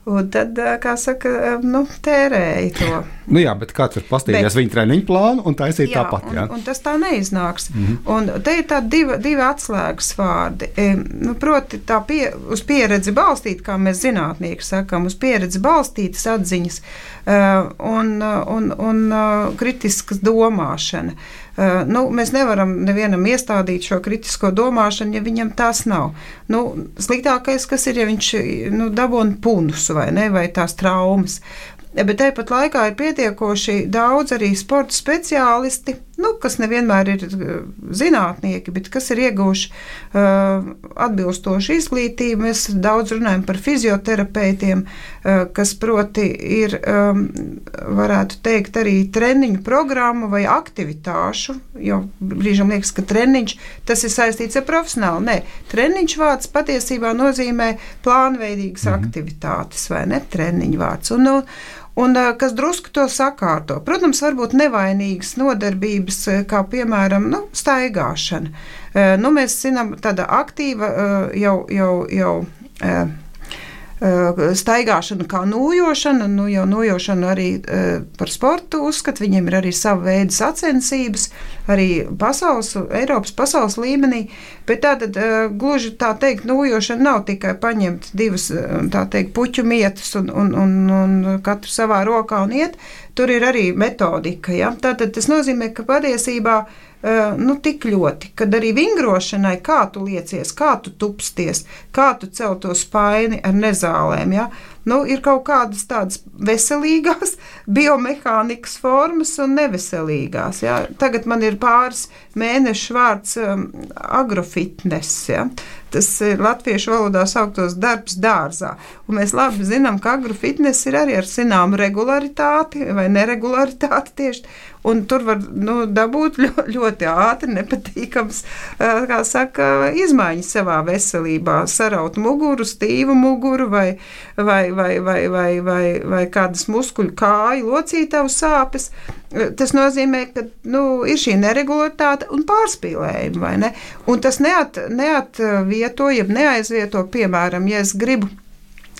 Speaker 3: Un tad, kā saka, tērēja to.
Speaker 2: Nu jā, bet kāds var pastīties viņa treniņu plānu un taisīt tāpat, jā?
Speaker 3: Un tas tā neiznāks. Un te ir tādi divi atslēgas vārdi. Proti uz pieredzi balstīt, kā mēs zinātnieki sakam, uz pieredzi balstītas atziņas un kritiskas domāšana. Mēs nevaram nevienam iestādīt šo kritisko domāšanu, ja viņam tās nav. Sliktākais, kas ir, ja viņš dabūna punus vai tās traumas. Bet tāpat laikā ir pietiekoši daudz arī sporta speciālisti, kas nevienmēr ir zinātnieki, bet kas ir ieguvuši atbilstošu izglītību. Mēs daudz runājam par fizioterapeitiem, kas proti ir, varētu teikt, arī treniņu programmu vai aktivitāšu, jo brīžam liekas, ka treniņš, tas ir saistīts ar profesionāli. Nē, treniņš vārds patiesībā nozīmē plānveidīgas aktivitātes, vai ne? Treniņu vārds. Un kas drusku to sakārto. Protams, varbūt nevainīgas nodarbības, kā piemēram, staigāšana. Mēs zinām, tāda aktīva jau staigāšana kā nojošana, jau nojošana arī par sportu uzskat, viņiem ir arī sava veida sacensības, arī Eiropas pasaules līmenī, bet tātad gluži tā teikt, nojošana nav tikai paņemt divas, tā teikt, puķu mietas un katru savā rokā un iet, tur ir arī metodika, ja? Tātad tas nozīmē, ka patiesībā tik ļoti, kad arī vingrošanai, kā tu liecies, kā tu tupsties, kā tu cel to spaini ar nezālēm, ja? Ir kaut kādas tādas veselīgās biomehānikas formas un neveselīgās. Ja? Tagad man ir pāris mēnešu vārds agrofitness. Ja? Tas ir latviešu valodā sauktos darbs dārzā. Un mēs labi zinām, ka agrofitness ir arī ar zināmu regularitāti vai neregularitāti tieši. Un tur var dabūt ļoti ātri nepatīkams, kā saka, izmaiņas savā veselībā. Saraut muguru, stīvu muguru vai kādas muskuļu kāju locītavu sāpes. Tas nozīmē, ka ir šī neregularitāte un pārspīlējumi, vai ne? Un tas neatvieto, jeb neaizvieto, piemēram, ja es gribu,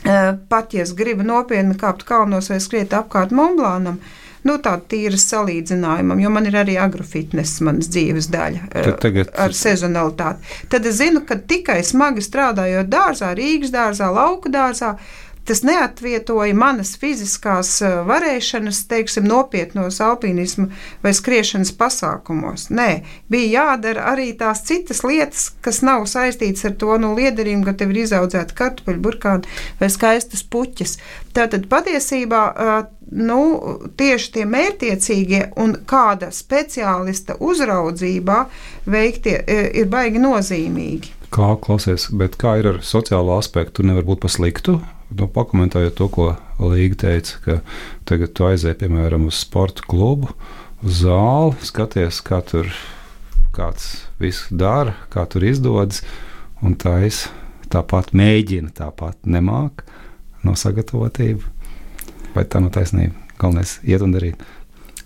Speaker 3: ja es gribu nopietni kāpt kalnos vai skriet apkārt Montblancam, tāda tīra salīdzinājumam, jo man ir arī agrofitness manas dzīves daļa ar sezonalitāti. Tad es zinu, ka tikai smagi strādājot dārzā, Rīgas dārzā, lauku dārzā, tas neatvietoja manas fiziskās varēšanas, teiksim, nopietnos alpīnismu vai skriešanas pasākumos. Nē, bija jādara arī tās citas lietas, kas nav saistītas ar to liederību, ka tev ir izaudzēta kartupeļu burkāni vai skaistas puķes. Tātad patiesībā tieši tie mērķtiecīgie un kāda speciālista uzraudzībā veiktie ir baigi nozīmīgi.
Speaker 2: Klausies, bet kā ir ar sociālo aspektu? Tur nevar būt pa sliktu? Pakomentējot to, ko Līga teica, ka tagad tu aizēji, piemēram, uz sporta klubu, uz zāli, skaties, kā tur kāds visu dara, kā tur izdodas, un tāpat mēģina, tāpat nemāk no sagatavotību. Vai tā nav taisnība? Galvenais iet un darīt.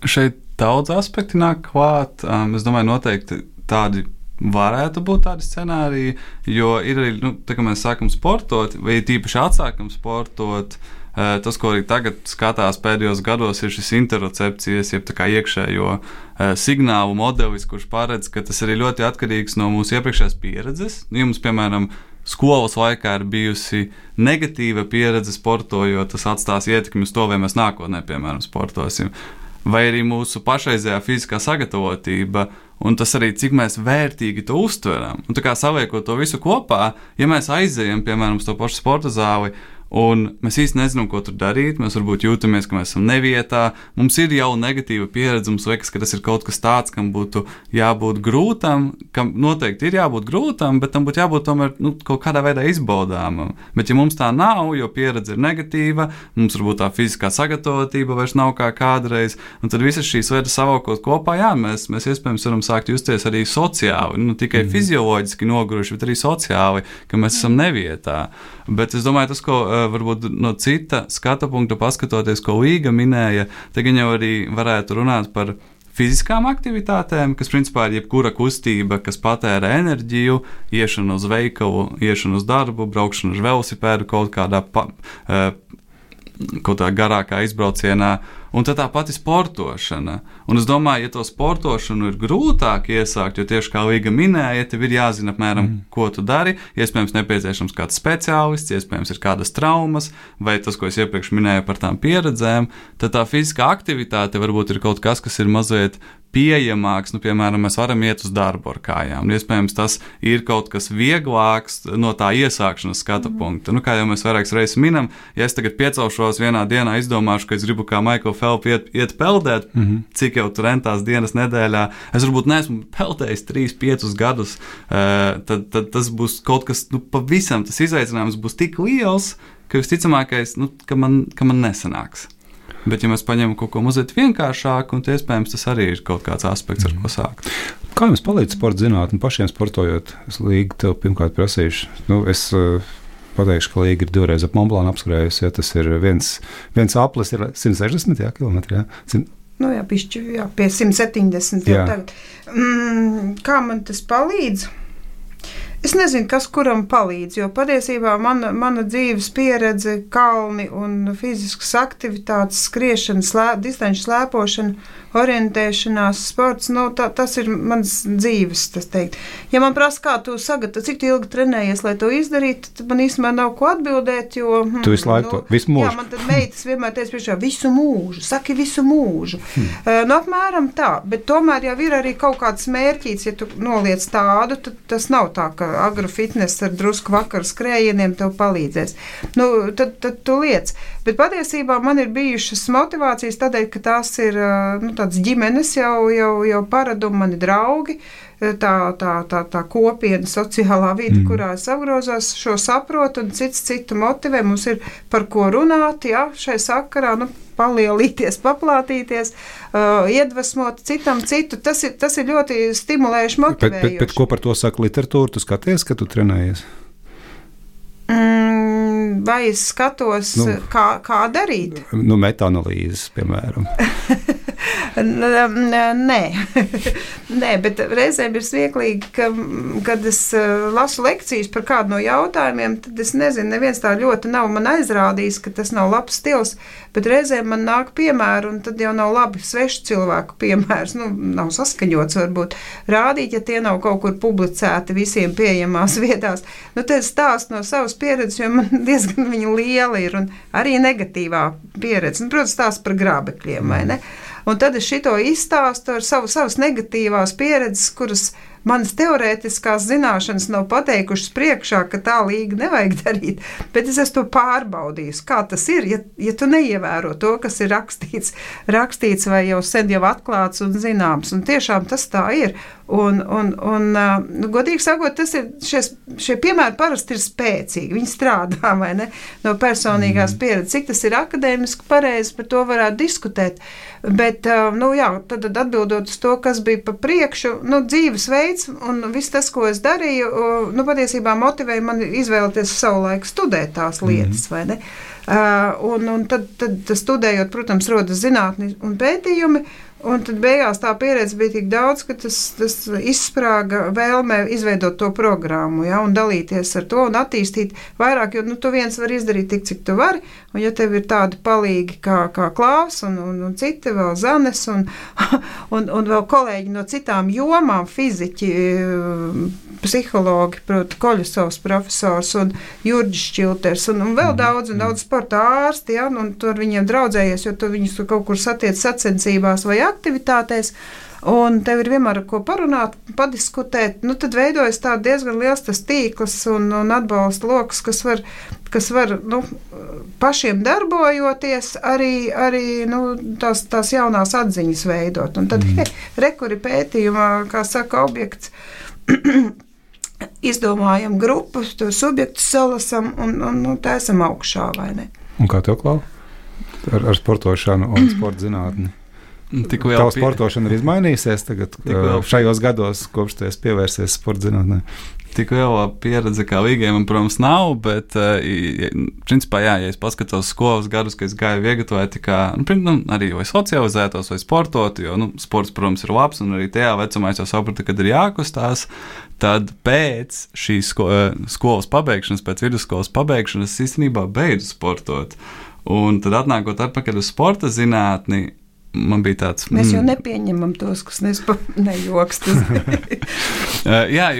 Speaker 4: Šeit daudz aspekti nāk klāt. Es domāju, noteikti tādi varētu būt tādi scenāriji, jo ir arī, tā kā mēs sākam sportot, vai tīpaši atsākam sportot, tas, ko arī tagad skatās pēdējos gados, ir šis interocepcijas, jeb tā kā iekšējo signālu modelis, kurš paredz, ka tas arī ļoti atkarīgs no mūsu iepriekšējās pieredzes. Jums, piemēram, skolas laikā ir bijusi negatīva pieredze sportojot, tas atstās ietekmi uz to, vai mēs nākotnē, piemēram, sportosim. Vai arī mūsu pašreizējā fiziskā sagatavotība, un tas arī, cik mēs vērtīgi to uztveram. Un tā kā saliekot to visu kopā, ja mēs aizejam, piemēram, uz to pašu sporta zāli, un mēs īsti nezinām, ko tur darīt, mēs varbūt jūtamies, ka mēs esam nevietā, mums ir jau negatīva pieredze, mums liekas, ka tas ir kaut kas tāds, kam būtu jābūt grūtam, kam noteikti ir jābūt grūtam, bet tam būtu jābūt tomēr kaut kādā veidā izbaudāmam. Bet ja mums tā nav, jo pieredze ir negatīva, mums varbūt tā fiziskā sagatavotība vairs nav kā kādreiz, un tad visas šīs lietas savalkot kopā, jā, mēs iespējams varam sākt justies arī sociāli, tikai fizioloģiski noguruši, bet arī sociāli, ka mēs esam nevietā. Bet es domāju, tas, ko varbūt no cita skatu punkta paskatoties, ko Līga minēja, tagad jau arī varētu runāt par fiziskām aktivitātēm, kas principā ir jebkura kustība, kas patēra enerģiju, iešana uz veikalu, iešana uz darbu, braukšana uz velosipēdu kaut kādā kaut kā garākā izbraucienā, un tad tā pati sportošana. Un es domāju, ja to sportošanu ir grūtāk iesākt, jo tieši kā Līga minēja, tev ir jāzina apmēram, ko tu dari, iespējams nepieciešams kāds speciālists, iespējams ir kādas traumas, vai tas, ko es iepriekš minēju par tām pieredzēm, tad tā fiziskā aktivitāte varbūt ir kaut kas ir mazliet pieejamāks, piemēram, mēs varam iet uz darbu ar kājām, un iespējams tas ir kaut kas vieglāks no tā iesākšanas skata punkta. Kā jau mēs vairākas reizes minam, ja es tagad piecelšos vienā dienā, izdomāšu, ka es gribu kā Michael Phelps iet peldēt, cik jau tur rentās dienas nedēļā, es varbūt neesmu peldējis 3-5 gadus, tad tas būs kaut kas, pavisam tas izaicinājums būs tik liels, ka visticamākais, ka man nesanāks. Bet, ja mēs paņemam kaut ko mazliet vienkāršāku, un iespējams tas arī ir kaut kāds aspekts, ar ko sākt.
Speaker 2: Kā jums palīdz sporta zinātne pašiem sportojot? Es Līga tev pirmkārt prasīšu. Es pateikšu, ka Līga ir 2 reizes ap Montblānu apskrējusi, ja tas ir viens aplis ir 160 kilometri, jā?
Speaker 3: Pišķi, pie 170 jau tagad. Kā man tas palīdz? Es nezinu, kas kuram palīdz, jo patiesībā mana dzīves pieredze, kalni un fiziskas aktivitātes, skriešana, distanču slēpošana, orientēšanās, sports, tas ir mans dzīves, tas teikt. Ja man prasa, kā tu sagatavo, cik ilgi trenējies, lai to izdarītu, tad man īstenībā nav ko atbildēt, jo...
Speaker 2: Tu visu laiku to, visu mūžu.
Speaker 3: Jā, man tad meitas vienmēr teica priekšā, visu mūžu, saki visu mūžu. Apmēram tā, bet tomēr jau ir arī kaut kāds mērķīts, ja tu noliec tādu, tad tas nav tā, ka agrofitness ar drusku vakaru skrējieniem tev palīdzēs. Tad tu liec. Bet patiesībā man ir bijušas motivācijas tādēļ, ka tās ir tāds ģimenes jau paradumi, mani draugi, tā kopiena, sociālā vide, kurā es apgrozos, šo saprotu un citu motivē. Mums ir par ko runāt, šai sakarā, palielīties, paplātīties, iedvesmot citam citu. Tas ir ļoti stimulējuši, motivējoši.
Speaker 2: Bet ko par to saka literatūra? Tu skaties, ka tu trenējies?
Speaker 3: Vai es skatos, kā darīt?
Speaker 2: Metaanalīzes, piemēram.
Speaker 3: Nē, bet reizēm ir smieklīgi, kad es lasu lekcijas par kādu no jautājumiem, tad es nezinu, neviens tā ļoti nav man aizrādījis, ka tas nav labs stils, bet reizēm man nāk piemēri, un tad jau nav labi svešu cilvēku piemērs, nav saskaņots varbūt rādīt, ja tie nav kaut kur publicēti visiem pieejamās vietās. Tad es stāstu no savas pieredzes, jo man diezgan viņa liela ir, un arī negatīvā pieredze. Protams, stāstu par grābekļiem, vai ne? Un tad es šito izstāstu ar savas negatīvās pieredzes, kuras manas teorētiskās zināšanas nav pateikušas priekšā, ka tā Līga nevajag darīt, bet es esmu to pārbaudījis. Kā tas ir, ja tu neievēro to, kas ir rakstīts vai jau sen jau atklāts un zināms. Un tiešām tas tā ir. Un godīgi sakot, šie piemēri parasti ir spēcīgi. Viņi strādā, vai ne, no personīgās pieredzes. Cik tas ir akadēmiski pareizi, par to varētu diskutēt. Bet, tad atbildot uz to, kas bija pa priekšu, dzīvesveids un viss tas, ko es darīju, patiesībā motivēja mani izvēlēties savu laiku studēt tās lietas, vai ne? Un tad studējot, protams, rodas zinātni un pētījumi, un tad beigās tā pieredze bija tik daudz, ka tas izsprāga vēlmē izveidot to programmu, un dalīties ar to un attīstīt vairāk, jo tu viens var izdarīt tik, cik tu vari, un ja tev ir tādi palīgi kā Klāvs un citi vēl Zanes un vēl kolēģi no citām jomām, fiziķi, psihologi, proti Koļusovs profesors un Jurģis Šķilters un vēl daudz sporta ārsti, un tu ar viņiem draudzējies, jo tu viņus kaut kur satiec sacensībās vai aktivitātēs, un tev ir vienmēr ar ko parunāt, padiskutēt, tad veidojas tā diezgan liels tas tīkls un atbalsta loks, kas var pašiem darbojoties, arī tās jaunās atziņas veidot. Un tad rekuri pētījumā, kā saka, objekts, izdomājam grupu, to subjektu salasam un taisam augšā, vai ne?
Speaker 2: Un kā tev, Klau? Ar sportošanu un sporta zinātni? Tava sportošana ir izmainījusies tagad šajos gados, kopš tu esi pievērsies sporta zinātnē?
Speaker 4: Tik liela pieredze kā Līgai man, protams, nav, bet principā, ja es paskatos skolas gadus, ka es gāju viegatavēt, arī vai socializētos, vai sportot, jo sports, protams, ir labs, un arī tajā vecumā es jau sapratu, kad ir jākustās, tad pēc šīs skolas pabeigšanas, pēc vidusskolas pabeigšanas, es īstenībā beidzu sportot. Un tad atnākot atpakaļ uz sporta zinātni, man bija tāds...
Speaker 3: Mēs jau nepieņemam tos, kas nejokst.
Speaker 4: Jā,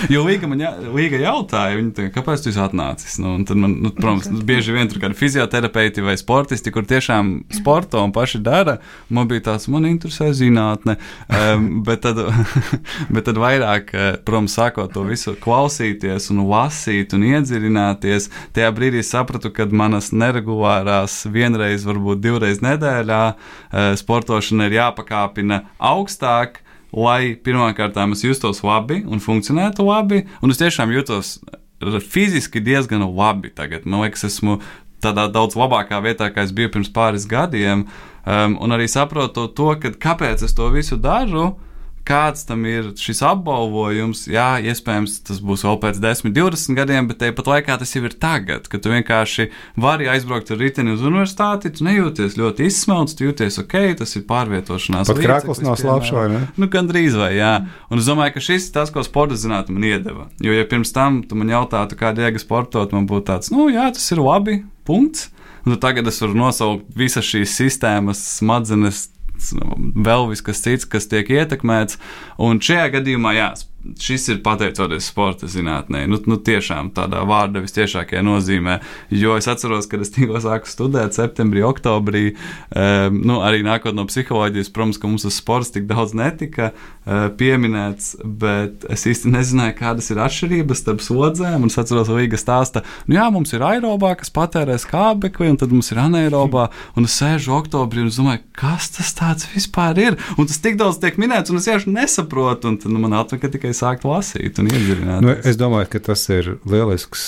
Speaker 4: jo Līga jautāja, viņa tā, kāpēc tu esi atnācis? Un tad man, protams, bieži vien tur kādi fizioterapeiti vai sportisti, kur tiešām sporto un paši dara, man bija tāds, man interesē zinātne, bet tad vairāk, protams, sākot to visu klausīties un lasīt un iedziļināties, tajā brīdī sapratu, kad manas neregulārās vienreiz, varbūt 2 reizes nedēļā sportošana ir jāpakāpina augstāk, lai pirmkārt es justos labi un funkcionētu labi, un es tiešām jūtos fiziski diezgan labi tagad. Man liekas, esmu tādā daudz labākā vietā, kā es biju pirms pāris gadiem, un arī saprotu to, kāpēc es to visu daru, kāds tam ir šis apbalvojums. Jā, iespējams, tas būs vēl pēc 10, 20 gadiem, bet tāpat laikā tas jau ir tagad, kad tu vienkārši vari aizbraukt ar riteni uz universitāti, tu nejūties ļoti izsmelts, tu jūties ok, tas ir pārvietošanās.
Speaker 2: Pat krāklis nav slāpš, vai ne?
Speaker 4: Nu, gandrīz vai, jā. Un es domāju, ka šis ir tas, ko sporta zinātne man iedeva. Jo, ja pirms tam tu man jautātu, kāda jēga sportot, man būtu tāds, jā, tas ir labi, punkts. Un tagad es varu nosaukt visas šīs sistēmas, smadzenes, vēl viss kas cits, kas tiek ietekmēts, un šajā gadījumā, jā, šis ir pateicoties sporta zinātnē, tiešām tādā vārda vistiešākajā nozīmē, jo es atceros, kad es tikko sāku studēt septembrī, oktobrī, arī nākot no psiholoģijas, protams, ka mums uz sports tik daudz netika pieminēts, bet es īsti nezināju, kādas ir atšķirības starp slodzēm, un es atceros, Līga stāsta, jā, mums ir aerobā, kas patērē skābekli, un tad mums ir anaerobā, un es sēžu oktobrī un es domāju, kas tas tāds vispār ir, un tas tik daudz tiek minēts, un es vienkārši nesaprotu, un tad man atveka tikai sākt lasīt un iedziļināties.
Speaker 2: Es domāju, ka tas ir lielisks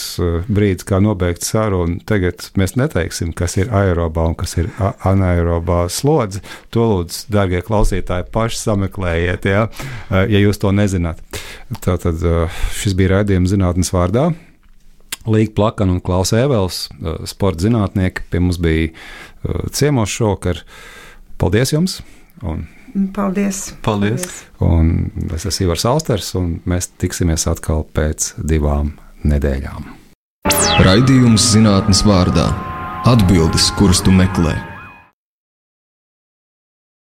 Speaker 2: brīdis, kā nobeigt sarunu. Tagad mēs neteiksim, kas ir aerobā un kas ir anaerobā slodze. To lūdzu, dārgie klausītāji, paši sameklējiet, ja jūs to nezināt. Tātad šis bija raidījums Zinātnes vārdā. Līga Plakana un Klaus Ēvels, sporta zinātnieki, pie mums bija ciemos šovakar. Paldies jums!
Speaker 3: Paldies!
Speaker 2: Un es esmu Ivars Alsters, un mēs tiksimies atkal pēc 2 nedēļām.
Speaker 1: Raidījums Zinātnes vārdā. Atbildes, kuras tu meklē.